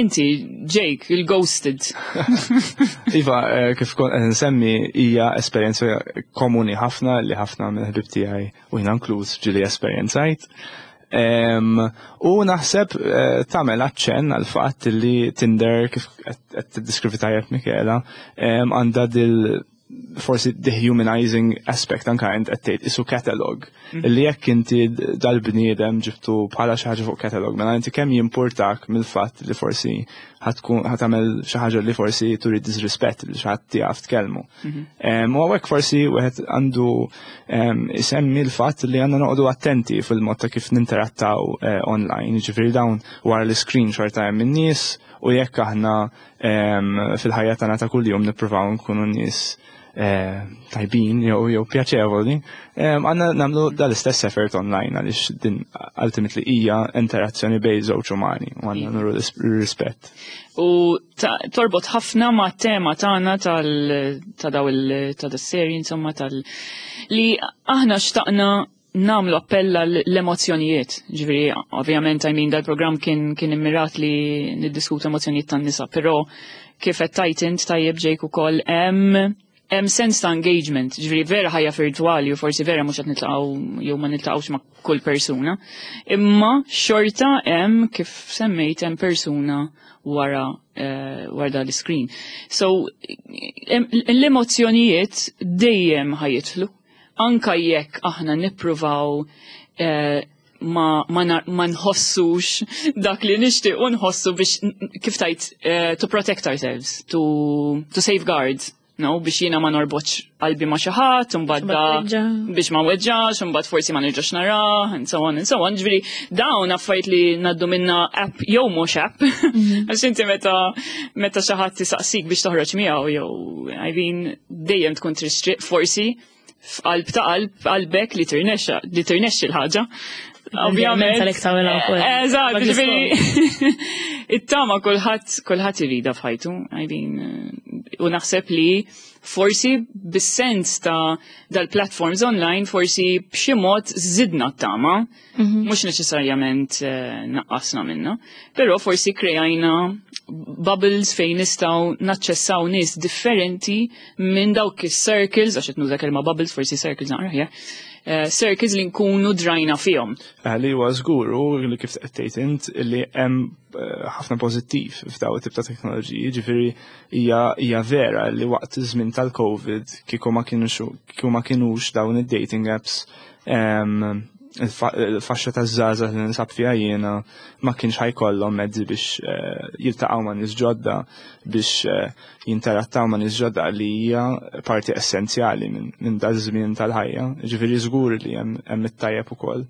Inti, Jake, il-ghosted. Iva, eh, kif kont nsemmi, hija esperjenza komuni ħafna li ħafna minn ħbib tiegħi u jiena inkluż ġieli esperjenzajt. U naħseb eh, tagħmel aċċenn għal fatt li Tinder, kif qed tiddiskrivi tajjeb Michela, għandha dil forsi dehumanizing aspect, anka int qed tgħid isu catalog. Mhm. Li jekk inti dal-bniedem ġibtu bħala xi ħaġa fuq catalog, mela inti kemm jimpurtak mill-fatt li forsi ħa tkun ħa tagħmel xi ħaġa li forsi turi disrispett li xi ħadd tiegħek tkellmu. Mhm. U hawnhekk forsi wieħed għandu isemmi l-fatt li għandna noqogħdu attenti fil-mod ta' kif ninterattaw eh, online, jiġifieri dawn wara l-screen xorta hemm in-nies u jekk aħna fil-ħajja tagħna ta' kuljum nippruvaw nkunu nies eh, tajbin jew jew pjaċevoli, għandna nagħmlu dal-istess effort online għaliex din ultimately hija interazzjoni bejn żewġ umani u għandna nuru rispett. U torbot ħafna ma' tema tagħna tal ta' daw il ta' seri insomma, tal li aħna xtaqna nagħmlu appell l-emozzjonijiet. Ġifieri, ovvjament, I mean, dal-programm kien kien immirat li niddiskutu emozzjonijiet tan-nisa, però kif qed tajt int tajjeb, Jake, ukoll hemm hemm sens ta' engagement, ġifieri vera ħajja virtuali u forsi vera mhux qed niltaqgħu jew ma niltaqgħux ma' kull persuna, imma xorta hemm, kif semmejt, hemm persuna wara uh, wara l-screen. So l-emozzjonijiet dejjem ħa jidħlu, anka jekk aħna nippruvaw uh, ma, ma, ma nħossux dak li nixtieq u nħossu biex, kif tajt, uh, to protect ourselves, to, to safeguard, no, biex jiena ma norbotx qalbi ma xi ħadd, imbagħad biex ma weġġax, imbagħad forsi ma nerġax nara, and so on and so on. Ġifieri dawn affarijiet li ngħaddu minna, app jew mhux app. Mhm. Għax inti meta meta xi ħadd tisaqsik biex toħroġ miegħu jew, I mean, dejjem tkun tristriq forsi f'qalb ta' qalb qalbek li tirnexxa li tirnexxi l-ħaġa. Ovvjament. Eżatt, ġifieri it-tama kulħadd kulħadd irida f'ħajtu, I mean, u naħseb li forsi bis-sens ta' dal-platforms online forsi b'xi mod żidna t-tama, mhm. mhux neċessarjament eh, naqqasna minna, però forsi krejajna bubbles fejn nistgħu naċċessaw nies differenti minn dawk is-circles, għax qed nuża kelma bubbles, forsi circles naqra, eh, circles li nkunu drajna fihom. Eh, li huwa żgur u li kif qed tgħid int li hemm eh, ħafna pożittiv f'daw it-tip ta' teknoloġiji, ġifieri hija hija vera li waqt iż-żmien tal-Covid kieku ma kienux kieku ma kienux dawn id-dating apps em, il-fa- il-faxxa ta' żgħażagħ li ninsab fiha jiena ma kienx ħa jkollhom mezzi biex eh, jiltaqgħu ma' nies ġodda biex eh, jinterattaw ma' nies ġodda li hija parti essenzjali minn min dal-żmien tal-ħajja. Ġifieri żgur li hemm hemm it-tajjeb ukoll.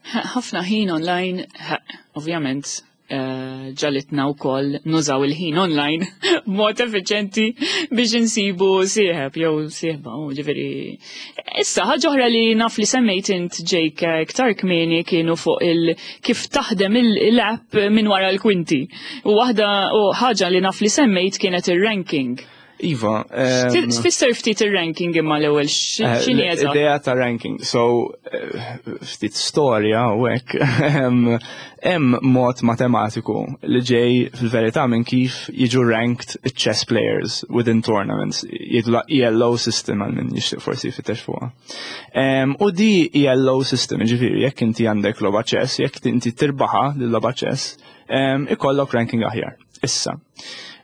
Ħafna ħin online, ha, ovvjament, eh, ġagħlitna wkoll nużaw il-ħin online b'mod effiċenti biex insibu sieħeb jew sieħba, u ġifieri. Issa, ħaġa oħra li naf li semmejt int Jake iktar kmieni kienu fuq il kif taħdem il-app minn wara l-kwinti. U waħda u ħaġa li naf li semmejt kienet ir-ranking. Iva, em, Tfisser ftit ir-ranking imma l-ewwel Eh, x'inhi eżatt? L-idea ta' ranking, so eh, ftit storja u hekk, em, hemm mod matematiku li ġej fil-verità minn kif jiġu ranked chess players within tournaments, jgħidu la E L O system għal min jixtieq forsi jfittex fuqha. Em, U di E L O system, ġifieri, jekk inti għandek logħba chess, jekk inti tirbaħa lil logħba chess, em, ikollok ranking aħjar. Issa,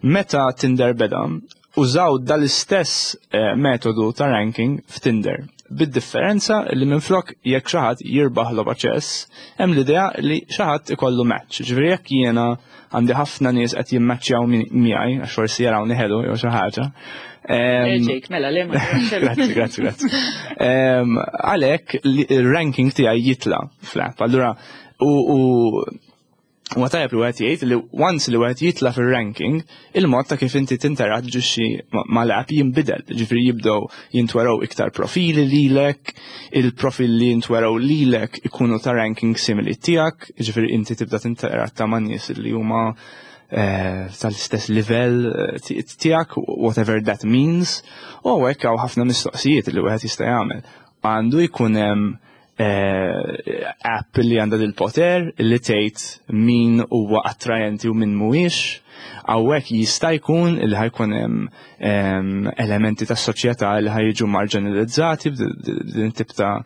meta Tinder beda, użaw dal-istess eh, metodu ta' ranking f'Tinder. Bid-differenza li minflok jekk xi ħadd jirbaħ logħba chess, hemm l-idea li xi ħadd ikollu match. Ġifieri jekk jiena għandi ħafna nies qed jimmaċċjaw miegħi għax forsi jarawni ħelu jew xi ħaġa. Eh, Em, Jake, mela, le ma Grazzi, grazzi, grazzi. Em, Għalhekk li- il-ranking tiegħi jitla fl-app. Allura, u u U għatajab li għet jgħid li once li għet jitla fil-ranking, il-mod ta' kif inti tinteraġġixxi mal-app jinbidel. Ġifieri jibdew jintwerew iktar profili lilek, il-profili li jintwerew lilek ikunu ta' ranking simili tiegħek, ġifieri inti tibda tinteratta ma' nies li huma eh, tal-istess livell eh, ti- tiegħek, whatever that means, u hekk hawn ħafna mistoqsijiet li wieħed jista' jagħmel. Għandu jkun hemm eh, app li għandha dil-poter li tgħid min huwa attrajenti u min mhuwiex. Hawnhekk jista' jkun li ħa jkun hemm em, elementi tas-soċjetà li ħa jiġu marginalizzati b'din tip ta'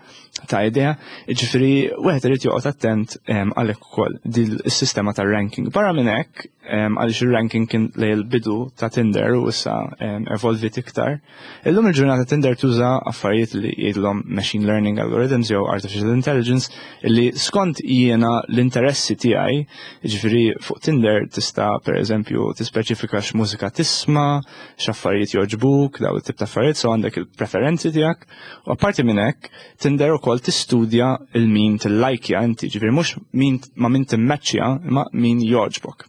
ta' idea. Ġifieri wieħed irid joqgħod attent em, għalhekk ukoll din is-sistema tar-ranking. Barra minn hekk, em, għaliex ir-ranking kien lejn il-bidu ta' Tinder u issa em, evolvit iktar. Illum il-ġurnata Tinder tuża affarijiet li jgħidulhom machine learning algorithms jew artificial intelligence li skont jiena l-interessi tiegħi, ġifieri fuq Tinder tista' pereżempju tispeċifika x'mużika tisma', x'affarijiet jogħġbuk, daw it-tip ta' affarijiet, so għandek il-preferenzi tiegħek. U apparti minn hekk, Tinder ukoll tistudja il-min tillajkja inti, ġifieri mhux min ma' min timmaċċja, imma min jogħġbok.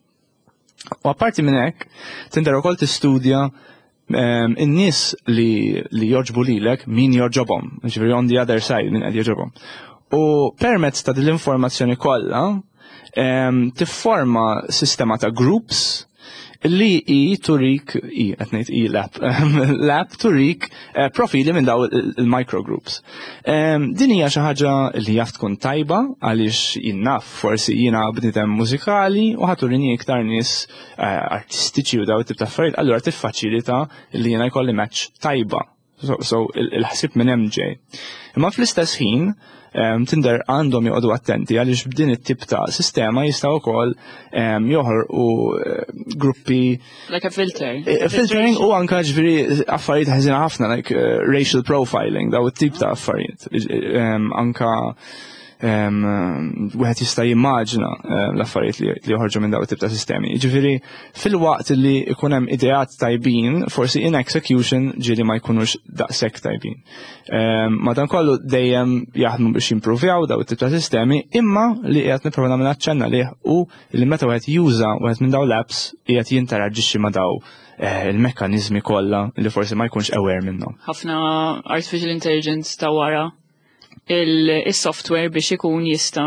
U apparti minn hekk, Tinder ukoll tistudja um, in-nies li, li jogħġbu lilek min jogħġobhom, ġifieri on the other side min qed jogħġobhom. U permezz ta' din l-informazzjoni kollha um, tifforma sistema ta' groups li i turik, i, qed ngħid i l-app, l-app turik eh, profili minn daw il-microgroups. Em, Din hija xi ħaġa li jaf tkun tajba għaliex jien naf forsi jiena bniedem mużikali u ħa turini iktar nies eh, artistiċi u daw it-tip ta' affarijiet, allura tiffaċilita li jiena jkolli match tajba. So, so il- il-ħsieb minn hemm ġej. Imma fl-istess ħin, em, Tinder għandhom joqogħdu attenti għaliex b'din it-tip ta' sistema jistgħu wkoll em, joħorqu eh, gruppi Like a filter. Eh, Filtering u anka ġifieri affarijiet ħażina ħafna, like eh, racial profiling, daw it-tip ta' affarijiet. Em, Anka em, wieħed jista' jimmaġina em, l-affarijiet li li joħorġu minn daw it-tip ta' sistemi. Ġifieri fil-waqt li ikun hemm ideat tajbin, forsi in execution ġieli ma jkunux daqshekk tajbin. Em, Madankollu dejjem jaħdmu biex jimprovjaw daw it-tip ta' sistemi, imma li qiegħed nipprova nagħmel aċċenna lih u li meta wieħed juża wieħed minn daw l-apps qiegħed jinteraġixxi ma' daw eh, il-mekkaniżmi kollha li forsi ma jkunx aware minnhom. Ħafna artificial intelligence ta' wara il-software biex ikun jista'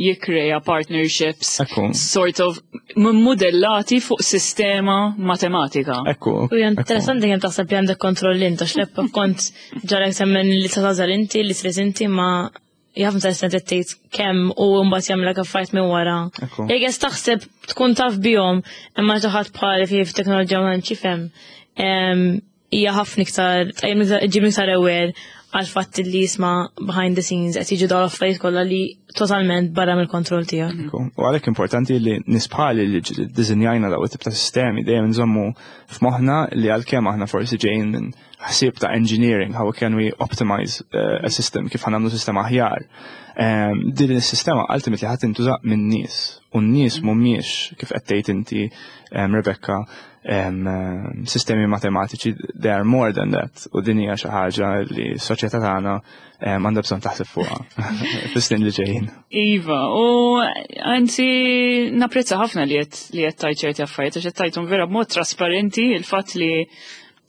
jikkrea partnerships Ekku. sort of modellati fuq sistema matematika. Ekku. U hija interessanti kemm taħseb li għandek kontroll int, għax l-app kont ġarek temmen li ta' tagħżel inti, li trid inti, ma jaf interessanti tgħid kemm u mbagħad jagħmlek affarijiet minn wara. Ekku. Jekk qed taħseb tkun taf bihom, imma xi ħadd bħali fi f'teknoloġija ma tantx jifhem, em, hija ħafna iktar tqajjem iktar ġib iktar aware Għal fatt li jisma' behind the scenes qed jiġu dawn l-affarijiet kollha li totalment barra mill-kontroll tiegħek. Ekku. U għalhekk importanti li nies bħali li ddisinjajna daw it-tip ta' sistemi dejjem nżommu f'moħħna li għalkemm aħna forsi ġejjin minn ħsieb ta' engineering, how can we optimize uh, a system, kif ħa nagħmlu sistema aħjar. Um, din is-sistema ultimately ħa tintuża minn nies u n-nies mhumiex, kif qed tgħid inti um, Rebecca, um, um, sistemi matematiċi, they are more than that, u din hija xi ħaġa li s-soċjetà tagħna um, għandha bżonn taħseb fuqha fis-snin li ġejjin. Iva, u anzi napprezza ħafna li qed li qed tajt ċerti affarijiet, għax qed tajthom vera b'mod trasparenti, il-fatt li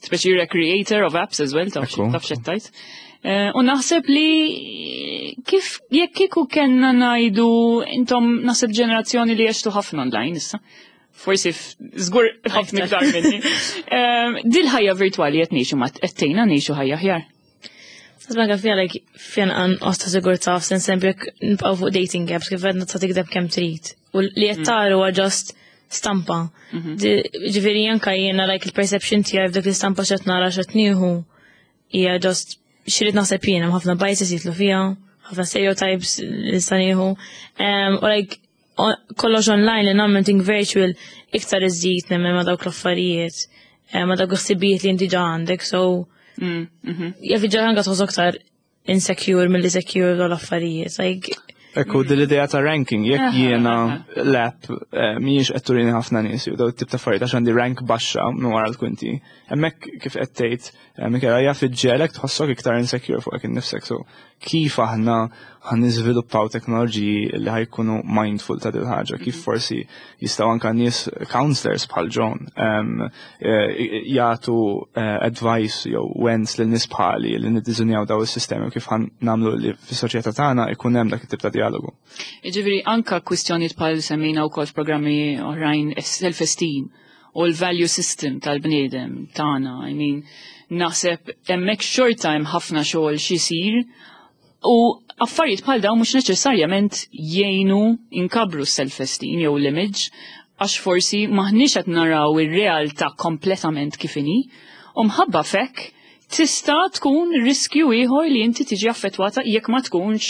speċi you're a creator of apps as well, taf Ekku. taf x'qed tajt. Eh, U naħseb li kif jekk kieku kellna ngħidu, intom naħseb ġenerazzjoni li għextu ħafna online issa. Forsi f- żgur ħafna iktar minni. Eh, Dil-ħajja virtwali qed ngħixu ma qed tgħinna ngħixu ħajja aħjar. Sasma fija like fija nuqqas ta' sigurtà, f'sens eżempju jekk nibqgħu fuq dating apps, kif għedna, ta' tikdeb kemm trid. U li qed tara huwa just stampa. Di- Ġifieri anka jiena like il-perception tiegħi f'dik l-istampa, x'qed nara, x'qed nieħu, hija just x'irrid naħseb jiena, hemm ħafna biases jidħlu fiha, ħafna stereotypes li nista' nieħu. Em, U like o- kollox online li nagħmel thing virtual iktar iżid nemmen ma' dawk l-affarijiet, eh, ma' dawk il-ħsibijiet li inti ġa għandek, so Mm, mhm. jaf ġa anka tħossok aktar insecure mill-li secure dawn l-affarijiet. Like, Ekku, din l-idea ta' ranking, jekk Aha, jiena aha. l-app eh, mhijiex qed turini ħafna nies u daw tip ta' affarijiet għax għandi rank baxxa minn wara l-kwinti. Hemmhekk, kif qed tgħid, eh, Michela, jaf iġġegħlek tħossok iktar insecure fuqek innifsek. So kif aħna ħa niżviluppaw teknoloġiji li ħa jkunu mindful ta' dil ħaġa, kif forsi jistgħu anka nies counselors bħal John em, eh, jagħtu eh, advice jew wens lil nies bħali li niddiżinjaw daw is-sistemi u kif ħa nagħmlu li fis-soċjetà tagħna ikun hemm dak it-tip ta' dialogu. Ġifieri, anka kwistjonijiet bħal semmejna wkoll f'programmi oħrajn, self-esteem u l-value system tal-bniedem tagħna. I mean, naħseb hemmhekk xorta hemm ħafna xogħol xisir u affarijiet bħal dawn mhux neċessarjament jgħinu inkabru self-esteem jew l-image, għax forsi maħniex qed naraw ir-realtà kompletament kif inhi u mħabba fek tista' tkun riskju ieħor li inti tiġi affettwata jekk ma tkunx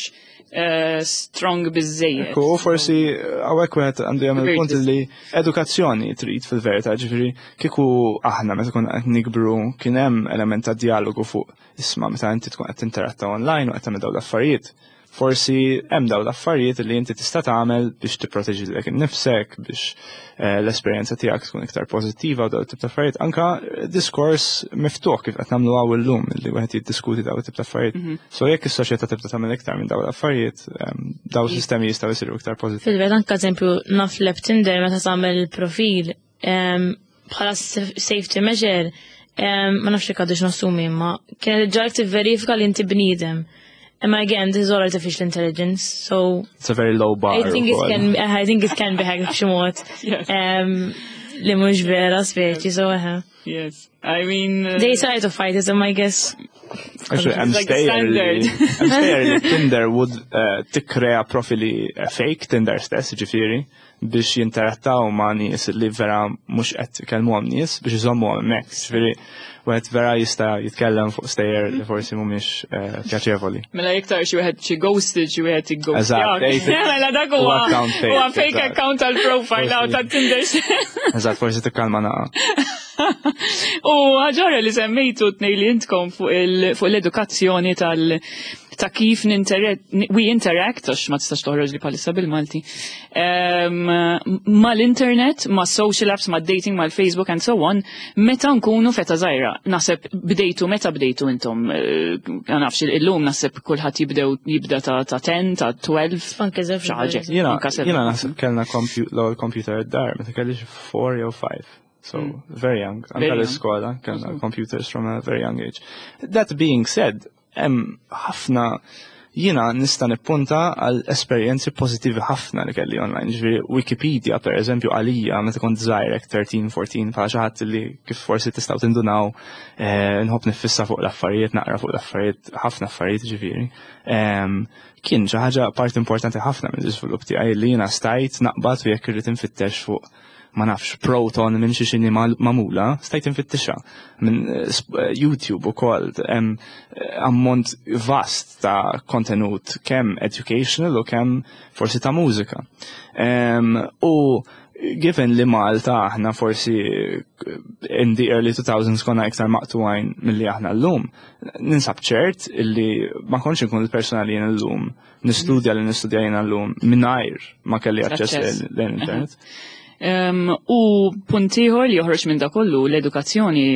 eh, strong biżejjed. Ekku, forsi hawnhekk wieħed għandu jagħmel punt Virtus. li edukazzjoni trid fil-verità, ġifieri kieku aħna meta konna qed nikbru kien hemm element ta' dialogu fuq, isma', meta inti tkun qed tinteratta online u qed tagħmel dawn l-affarijiet. Forsi hemm dawn l-affarijiet li inti tista' tagħmel biex tipproteġi lilek innifsek, biex eh, l-esperjenza tiegħek tkun iktar pożittiva u dawn tip ta' affarijiet. Anka diskors miftuħ kif qed nagħmlu hawn illum, li wieħed jiddiskuti dawn tip ta' affarijiet. So jekk is-soċjetà tibda tagħmel iktar minn dawn l-affarijiet, em, dawn sistemi jistgħu jsiru iktar pożittivi. Fil-verità anka eżempju naf l Tinder, meta tagħmel profil em, bħala saf- safety measure, em, ma nafx jekk għadux nassumi, imma kienet iġġagħlek tivverifika li inti bniedem. Imma again, this is all artificial intelligence, so It's a very low bar. I think it ukoll. can I think it can be hacked b'xi mod. Yes. Em, li mhux vera speċi, so eħe. Yes. I mean, uh, They try to fight it, I guess. Actually, I'm It's like the stejjer li standard. hemm stejjer li Tinder would uh, tikkrea profili uh, fake, Tinder stess, ġifieri, biex jinterattaw ma' nies li vera mhux qed ikellmuhom nies biex iżommuhom hemmhekk. Ġifieri, wieħed vera jista' jitkellem fuq stejjer li forsi mhumiex uh, pjaċevoli. Mela iktar xi wieħed xi ghosted, xi wieħed ighost. Eżatt, ej, Mela dak huwa huwa account fake, huwa fake eżatt. account tal-profile Forsi. ta' Tinder. Eżatt, forsi tikkalma naqa. U ħaġa li semmejtu tnej li intkom fuq il- fuq l-edukazzjoni tal ta' kif ninteract, we interact, għax ma tistax toħroġ li palissa bil-Malti, um, mal-internet, ma' social apps, ma' dating, ma' Facebook and so on, meta nkunu f'età żgħira. Naħseb bdejtu, meta bdejtu intom, eh, ma nafx, illum naħseb kulħadd jibdew jibda ta' ta' ten, ta' tnax, Anke żewġ. xi ħaġa. Jiena, Anka seven. jiena naħseb kellna compu- l-ewwel computer id-dar meta kelli xi four jew five. So, very young. Anka Very young. l-iskola kellna computers from a very young age. That being said, hemm ħafna, jiena nista' nippunta għal esperjenzi pożittivi ħafna li kelli online. Ġifieri Wikipedia, per eżempju, għalija meta kont żgħir, tlettax, erbatax, bħala xi ħadd li, kif forsi tistgħu tindunaw, eh, nħobb niffissa fuq l-affarijiet, naqra fuq l-affarijiet, ħafna affarijiet ġifieri. Em, Kien xi ħaġa part importanti ħafna mill-iżvilupp tiegħi li jiena stajt naqbad u jekk irrid infittex fuq ma nafx, proton minn xi xini magħmula, stajt infittixha minn eh, eh, YouTube ukoll hemm eh, ammont vast ta' kontenut kemm educational u kemm forsi ta' mużika. U given li Malta aħna forsi in the early two thousands konna iktar maqtugħin milli aħna l-lum, ninsab ċert illi ma kontx nkun il-persona li jien l-lum, nistudja li nistudja jien l-lum, mingħajr ma kelli aċċess l-internet. Um, u punt ieħor li joħroġ minn da kollu, l-edukazzjoni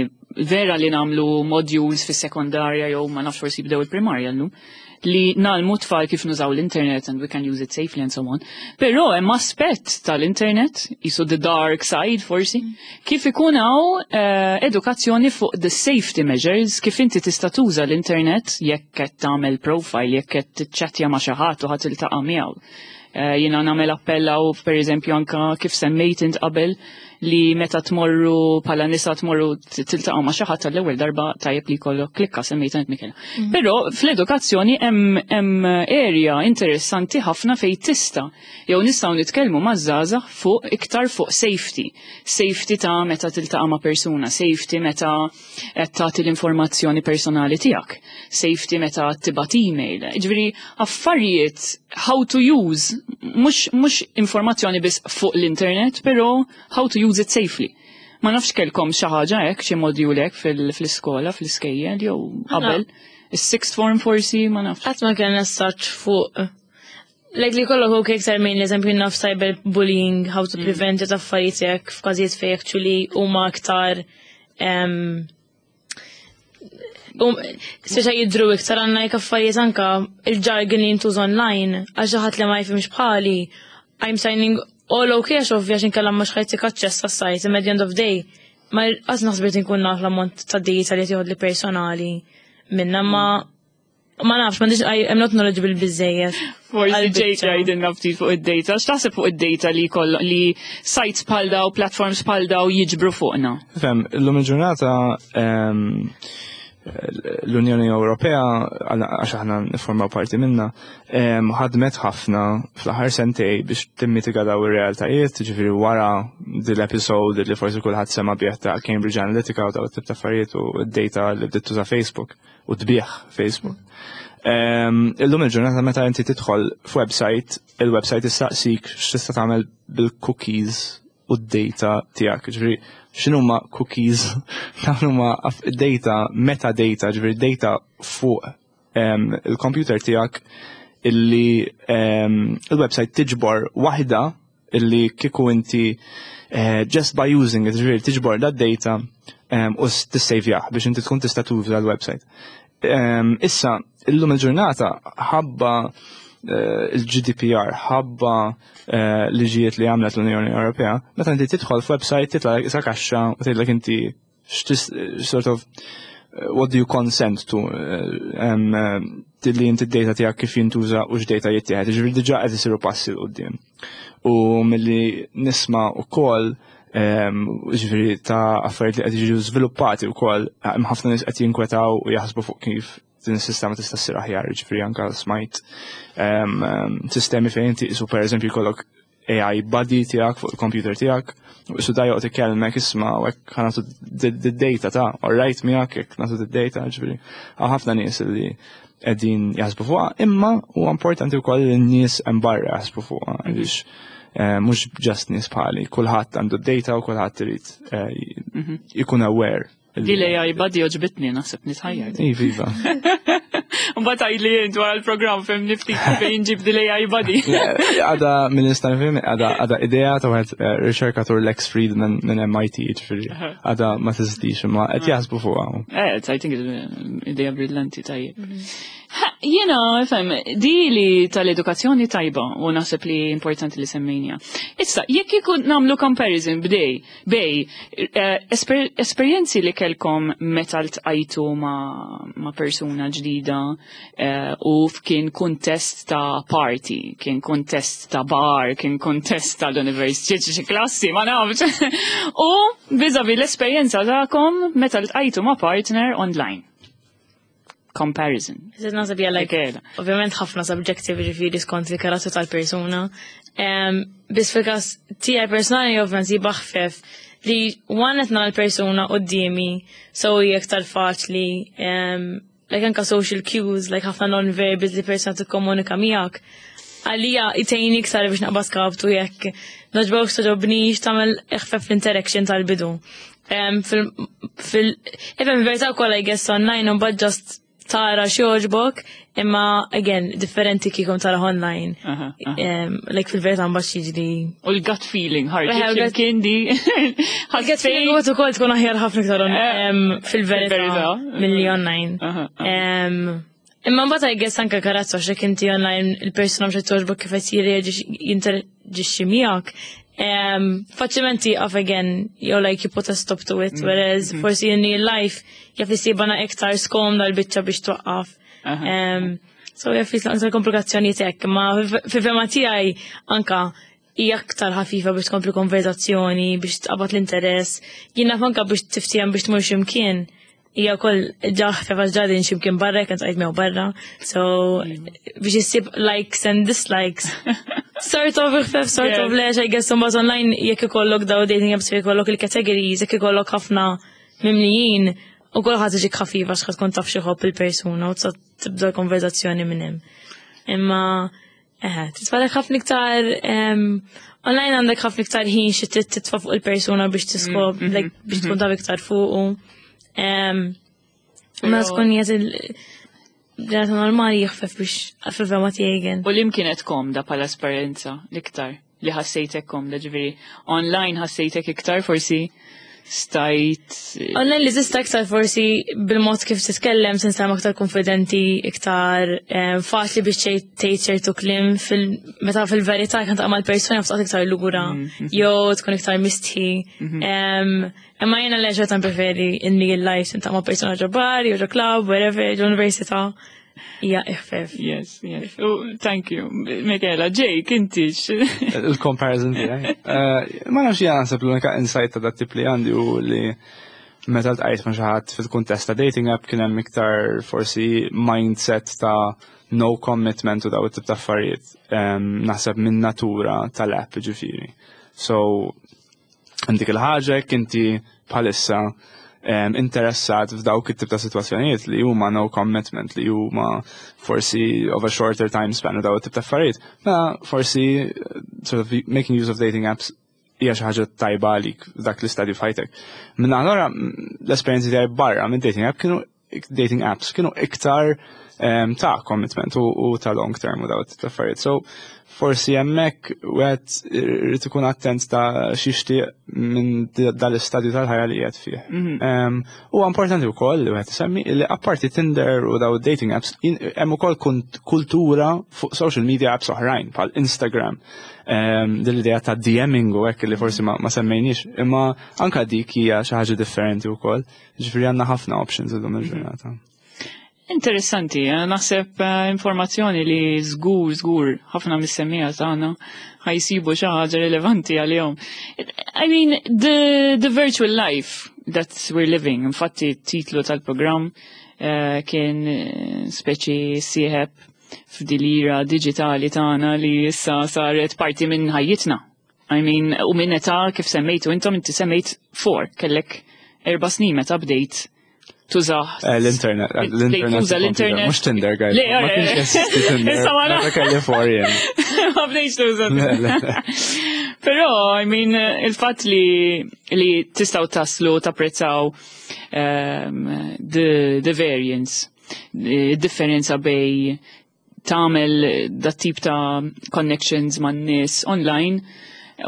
vera li nagħmlu modules fis sekondarja jew ma nafx, forsi bdew il-primarja llum, li ngħallmu tfal kif nużaw l-internet and we can use it safely and so on. Però hemm aspett tal-internet, jisu the dark side forsi, kif ikun hawn uh, edukazzjoni fuq the safety measures, kif inti tista' tuża l-internet jekk qed tagħmel profile, jekk qed tiċċattja ma' xi ħadd u ħadd tiltaqa' miegħu. Uh, Jiena nagħmel appellaw per eżempju anka kif semmejt int qabel li meta tmorru bħala nisa tmorru tiltaqgħu ma' xi ħadd tal-ewwel darba, tajjeb li jkollok klikka, semmejt int, Michela. Mhm. Però fl-edukazzjoni hemm hemm area interessanti ħafna fejn tista' jew nistgħu nitkellmu maż-żgħażagħ fuq iktar fuq safety. Safety ta' meta tiltaqa' ma' persuna, safety meta qed tagħti l-informazzjoni personali tiegħek, safety meta tibgħat email. Ġifieri affarijiet how to use, mhux mhux informazzjoni biss fuq l-internet, però how to use it safely. Ma nafx kellkom xi ħaġa hekk, xi module hekk fil-iskola, fl-iskejjel jew qabel. Is-sixth form forsi, ma nafx. Qatt ma kellna such fuq. Like li kollok ok iktar minn l-eżempju naf cyber bullying, how to prevent it, affarijiet hekk f'każijiet fejn actually huma aktar um, Um, speċa jidru iktar għandna jek affarijiet anka il-jargon li jintuż online, għal xi ħadd li ma jifhimx bħali, I'm signing all okay għax ovvja x'inkella mhux ħa jtik aċċess għas-site, imma at the end of day, ma qatt naħsbet inkun naf l-ammont ta' data li tieħod li personali minna, ma ma nafx, ma I'm not knowledgeable biżejjed. Forsi Jake jgħidilna ftit fuq id-data. X'taħseb fuq id-data li koll li sites bħal daw, platforms bħal daw jiġbru fuqna? Fem, l-lum il-ġurnata l-Unjoni Ewropea, għax aħna niformaw parti minna, ħadmet ħafna fl-aħħar sentej biex timmitiga daw ir-realtajiet, ġifieri wara dil-episode li forsi kulħadd sema bih ta' Cambridge Analytica u daw tip ta' affarijiet u d-data li bdiet tuża Facebook u tbieħ Facebook. Illum il-ġurnata meta inti tidħol f'website, il-website issaqsik x'tista' tagħmel bil-cookies u d-data tiegħek. Ġifieri x'inhuma cookies? Dawn huma data, metadata, ġifieri data fuq il-computer tiegħek illi il-website tiġbor waħda illi kieku inti eh, just by using it, ġifieri tiġbor dat data u tissejvjah biex inti tkun tista' tuża l-website. Issa, illum il-ġurnata ħabba eh, il-G D P R, ħabba eh, liġijiet li għamlet l-Unjoni Ewropea, meta inti tidħol f'website titla' sa kaxxa u tgħidlek inti sort of eh, what do you consent to li inti d-data tiegħek kif jintuża u x'data jittieħed. Ġifieri diġà qed isiru passi 'l quddiem. U milli nisma' ukoll, ġifieri ta' affarijiet li qed jiġu żviluppati wkoll, hemm ħafna nies qed jinkwetaw u jaħsbu fuq kif din is-sistema tista' ssir aħjar, ġifieri anke smajt sistemi fejn inti isu pereżempju jkollok A I buddy tiegħek fuq il-computer tiegħek, u isu da joqgħod ikellmek, isma' u hekk ħa nagħtu d-data ta' alright miegħek jekk nagħtu d-data, ġifieri hawn ħafna nies li qegħdin jaħsbu fuqha, imma huwa importanti wkoll li n-nies hemm barra jaħsbu fuqha għaliex eh, mhux just nies bħali, kulħadd għandu d-data u kulħadd irid eh, jkun aware. Di l-A I buddy għoġbitni, naħseb nitħajjar. Iva. Mbagħad għidli int wara l-programm fejn niftit fejn ġib di l-A I buddy. Għada minn nista' nifhem, għada għada idea ta' wieħed eh, riċerkatur Lex Friedman minn M I T, ġifieri għada ma teżistix imma qed jaħsbu fuqha. Eh, I think it's idea brillanti, tajjeb. Ha, jiena, fem, di li tal-edukazzjoni tajba u naħseb li importanti li semmejnija. Issa, jekk ikun nagħmlu comparison bdej, bej, eh, esper esperjenzi li kelkom meta ltqajtu ma, ma persuna ġdida eh, u f'kien kuntest ta' party, kien kuntest ta' bar, kien kuntest tal-università, xi klassi, ma nafx. U vis-a-vis l-esperjenza tagħkom meta ltqajtu ma' partner online. Comparison. Zed naħseb hija like, Michela. ovvjament ħafna subjective, ġifieri skont il-karattru tal-persuna. Um, Biss fil-każ tiegħi personali ovvjament jibqa' ħfef li one qed nara l-persuna quddiemi, so hija iktar faċli, um, like anka social cues, like ħafna non-verbals li persuna tikkomunika miegħek. Għalija itejni iktar biex naqbad kaptu jekk nogħġbokx, togħġobnix, tagħmel eħfef l-interaction tal-bidu. Um, fil, fil, even verità wkoll I guess online u mbagħad just tara x'jogħġbok, imma again, differenti kieku tara online. Aha, aha. Um, like fil-verità mbagħad jiġri. U l-gut feeling, ħarġet Eħe, l-gut- x'imkien di. Il-gut feeling u ukoll tkun aħjar ħafna iktar on- Eh, em, fil-verità fil-verità. milli online. Aha, aha. Em, Imma mbagħad I guess anke karattru, għax jekk inti online il-persuna mhux qed togħġbok kif qed jirreaġixxi jinteraġixxi miegħek. Um, faċilment tieqaf again, jew like you put a stop to it, whereas forsi in real life jaf isibana iktar skomda l-biċċa biex twaqqaf. Aha. Um, so jaf jisla iktar komplikazzjonijiet hekk, ma fil-fehma tiegħi anka hija aktar ħafifa biex tkompli konverzazzjoni, biex tqabad l-interess. Jien naf anka biex tiftiem biex tmur x'imkien. Hija wkoll ġa ħfef għax ġadin x'imkien barra, jekk tqajt miegħu barra. So biex issib likes and dislikes. Sort of ħfef, sort of Yeah. lex, I guess imbagħad online jekk ikollok daw dating apps fejn ikollok il-categories, jekk ikollok ħafna mimlijin, u kulħadd iġik ħafifa għax tkun taf xi ħobb il-persuna u tista' tibda l-konverzazzjoni minn hemm. Imma eħe, titfalek ħafna iktar em, online għandek ħafna iktar ħin xi trid titfa' fuq il-persuna biex tiskop, like, biex tkun taf iktar fuqu. Em, Ma Pero- tkun jiet il-ġenata normali jħfef biex fil-fehma tiegħi again. U lim kienet komda pala esperjenza l-iktar li ħassejtek komda, ġifieri online ħassejtek iktar forsi stajt? Online li tista' iktar forsi bil-mod kif titkellem tinstema' aktar konfidenti, iktar eh, faċli biex tgħid tgħid ċertu kliem fil meta fil-verità kan taqa' mal-persuna f'taqgħod iktar lura jew tkun iktar mistħi. Em, Imma jiena le xorta preferi in real life tintaqa' ma' persuna ġo bar, jew ġo club, wherever, ġo università. Hija iħfef. Yes, yes. Oh, thank you. Michela, Jake, inti Il-comparison tiegħi. Eh, Ma nafx, jien naħseb l-unika insight ta' dat tip li għandi u li meta ltqajt ma' xi ħadd fil-kuntest ta' dating app kien hemm iktar forsi mindset ta' no commitment u daw it-tip ta' affarijiet. Em, Naħseb minn natura tal-app, ġifieri. So, dik il-ħaġa jekk inti bħalissa em, interessat f'dawk it-tip ta' situazzjonijiet li huma no commitment, li huma forsi of a shorter time span u daw it-tip ta' affarijiet, ma forsi eh, sort of making use of dating apps hija xi ħaġa tajba għalik f'dak l-istadju f'ħajtek. Minn allora l-esperjenzi tiegħi barra minn dating app kienu dating apps kienu iktar em, ta' commitment u, u ta' long term u daw it-tip ta' affarijiet. So forsi hemmhekk wieħed irid ikun attent ta' x'jixtieq minn dal-istadju tal-ħajja li qiegħed fih. Em, Huwa importanti wkoll li wieħed isemmi li apparti Tinder u daw dating apps jin- hemm ukoll kunt- kultura fuq social media apps oħrajn bħal Instagram. Em, Din l-idea ta' DMing u hekk li forsi ma, ma semmejniex, imma anka dik hija xi ħaġa differenti wkoll. Ġifieri għandna ħafna options illum il-ġurnata. Interessanti, eh, naħseb eh, informazzjoni li żgur, żgur, ħafna mis-semmiegħa tagħna ħa jsibu xi ħaġa rilevanti għalihom. I mean, the, the virtual life that we're living, infatti titlu tal-programm eh, kien eh, speċi sieħeb f'dil-era digitali tagħna li issa saret parti minn ħajjitna. I mean, u minn età kif semmejtu intom, inti semmejt four, kellek erba' snin meta bdejt tużah. Eh, L-internet, eh, l-internet. Tuża l-internet. Mhux Tinder, guys. Le, Ma eh, kienx jeżisti Tinder. Issa ma Meta kelli four jien. Ma bdejx tuża. Le, le, le. Però, I mean, il-fatt li, li tistgħu taslu tapprezzaw um, the, the variance, differenza bejn tagħmel dat tip ta' connections man nies online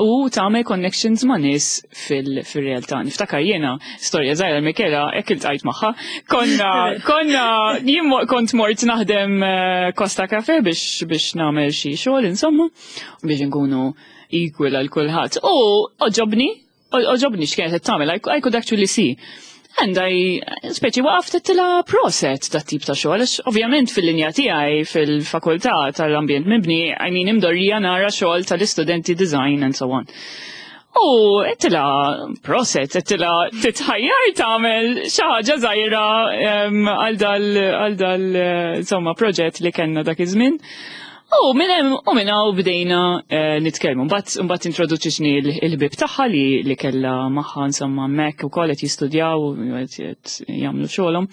u tagħmel connections ma' nies fil-realtà. Niftakar jiena storja żgħira, Michela, hekk iltqajt magħha. Konna konna jien mo- kont mort naħdem eh, Costa Cafe biex biex nagħmel xi xogħol insomma biex nkunu equal għal kulħadd. U għoġobni, għoġobni x'kienet qed tagħmel, I I could actually see. And I, speċi waqaft għedtilha proset ta' tip ta' xogħol, għax ovvjament fil-linja tiegħi fil-fakultà tal-ambjent mibni, I mean, imdorrija nara xogħol tal-istudenti design and so on. U għedtilha, proset, għedtilha titħajjar tagħmel xi ħaġa żgħira għal dal, għal dal, insomma, proġett li kellna dak iż-żmien. U minn hemm u minn hawn bdejna eh, nitkellmu. Mbagħad mbagħad introduċietni l-ħbieb tagħha li li kellha magħha insomma hemmhekk ukoll qed jistudjaw u qed jagħmlu xogħolhom.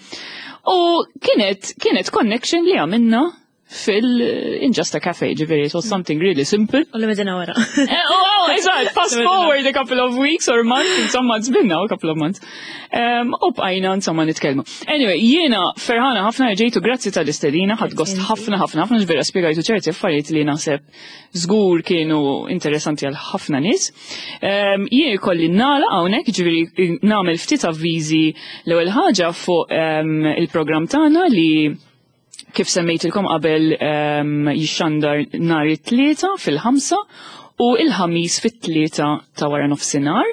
U kienet kienet connection li għamilna fil in just a cafe, ġifieri, it was something really simple. U li medina wara. Eh, oh, oh, eżatt, fast forward a couple of weeks or months, insomma, it's been now a couple of months. Um, u bqajna, insomma, nitkellmu. Anyway, jiena ferħana ħafna ġejtu, grazzi tal-istedina, ħadt gost ħafna ħafna ħafna, ġvera spiegajtu ċerti affarijiet li naħseb żgur kienu interessanti għal ħafna nies. Um, jien kolli nagħlaq hawnhekk, ġifieri nagħmel ftit avviżi. L-ewwel ħaġa fuq um, il-programm tagħna li kif semmejtilkom qabel um, jixxandar nhar it-Tlieta fil-ħamsa u il-Ħamis fit-tlieta ta' wara nofsinhar.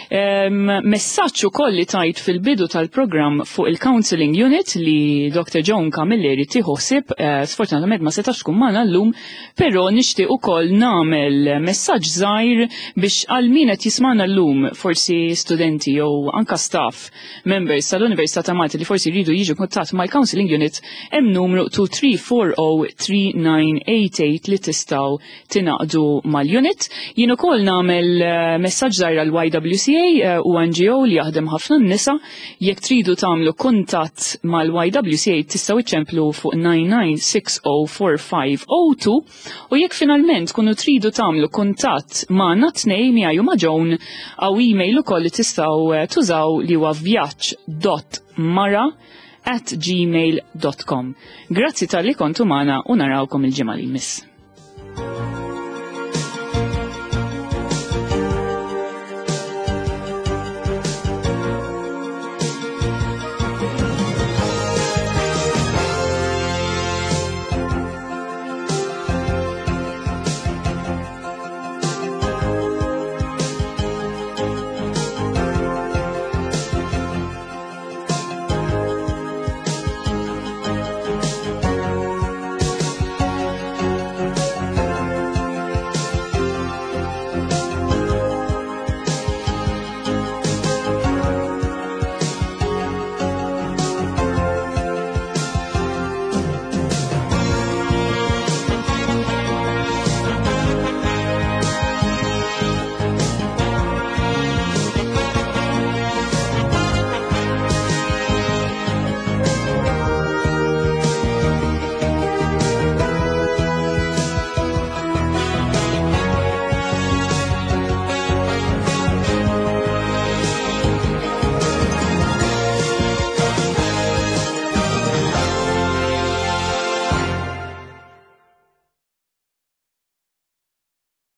Um, messaġġ ukoll li tajt fil-bidu tal-programm fuq il-Counseling Unit li Doctor Joan Camilleri tieħu ħsieb, uh, sfortunatament ma setax tkun magħna llum, però nixtieq ukoll nagħmel messaġġ żgħir biex għal min qed jismagħna llum, forsi studenti jew anka staff members tal-Università ta' Malta li forsi jridu jiġu kuntatt mal-Counseling Unit, hemm numru tnejn tliet erba' zero tlieta disa tminja tminja li tistgħu tingħaqdu mal-unit. Jien ukoll nagħmel eh, messaġġ żgħir għal Y W C A eh, u N G O li jaħdem ħafna n-nisa. Jekk tridu tagħmlu kuntatt mal-Y W C A tistgħu iċċemplu fuq tnejn tnejn sitta zero erba' ħamsa zero tnejn u jekk finalment kunu tridu tagħmlu kuntatt magħna tnejn, miegħi u ma' Joan, hawn email ukoll li tistgħu eh, tużaw li huwa vjaġġ dot mara at gmail dot com. Grazzi talli kontu magħna u narawkom il-ġimgħa li jmiss.